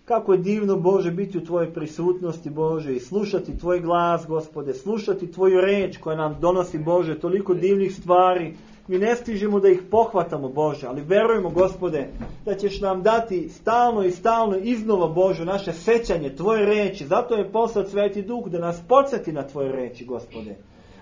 kako je divno, Bože, biti u Tvojoj prisutnosti, Bože, i slušati Tvoj glas, Gospode, slušati Tvoju reč koja nam donosi, Bože, toliko divnih stvari. Mi ne stižemo da ih pohvatamo, Bože, ali verujemo, Gospode, da ćeš nam dati stalno i stalno iznova, Bože, naše sećanje Tvoje reči. Zato je poslat Sveti Duh da nas podsjeti na Tvoje reči, Gospode.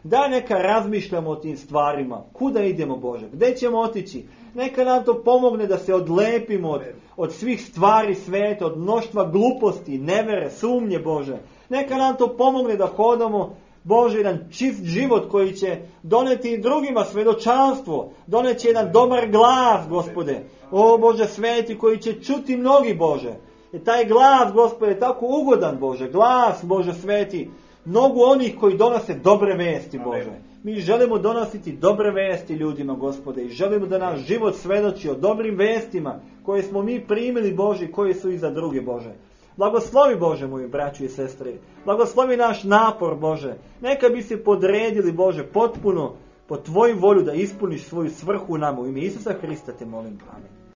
Da neka razmišljamo o tim stvarima. Kuda idemo, Bože? Gde ćemo otići? Neka nam to pomogne da se odlepimo od, od svih stvari sveta, od mnoštva gluposti, nevere, sumnje, Bože. Neka nam to pomogne da hodamo, Bože, jedan čist život koji će doneti i drugima svedočanstvo. Doneće jedan dobar glas, Gospode. O, Bože, sveti koji će čuti mnogi, Bože. I taj glas, Gospode, je tako ugodan, Bože. Glas, Bože, sveti. Mnogo onih koji donose dobre vesti, Bože. Mi želimo donositi dobre vesti ljudima, Gospode, i želimo da naš život svedoči o dobrim vestima koje smo mi primili, Bože, i koje su i za druge, Bože. Blagoslovi, Bože, moji braću i sestre. Blagoslovi naš napor, Bože. Neka bi se podredili, Bože, potpuno po Tvoju volju da ispuniš svoju svrhu u nama. U ime Isusa Hrista te molim. Amen.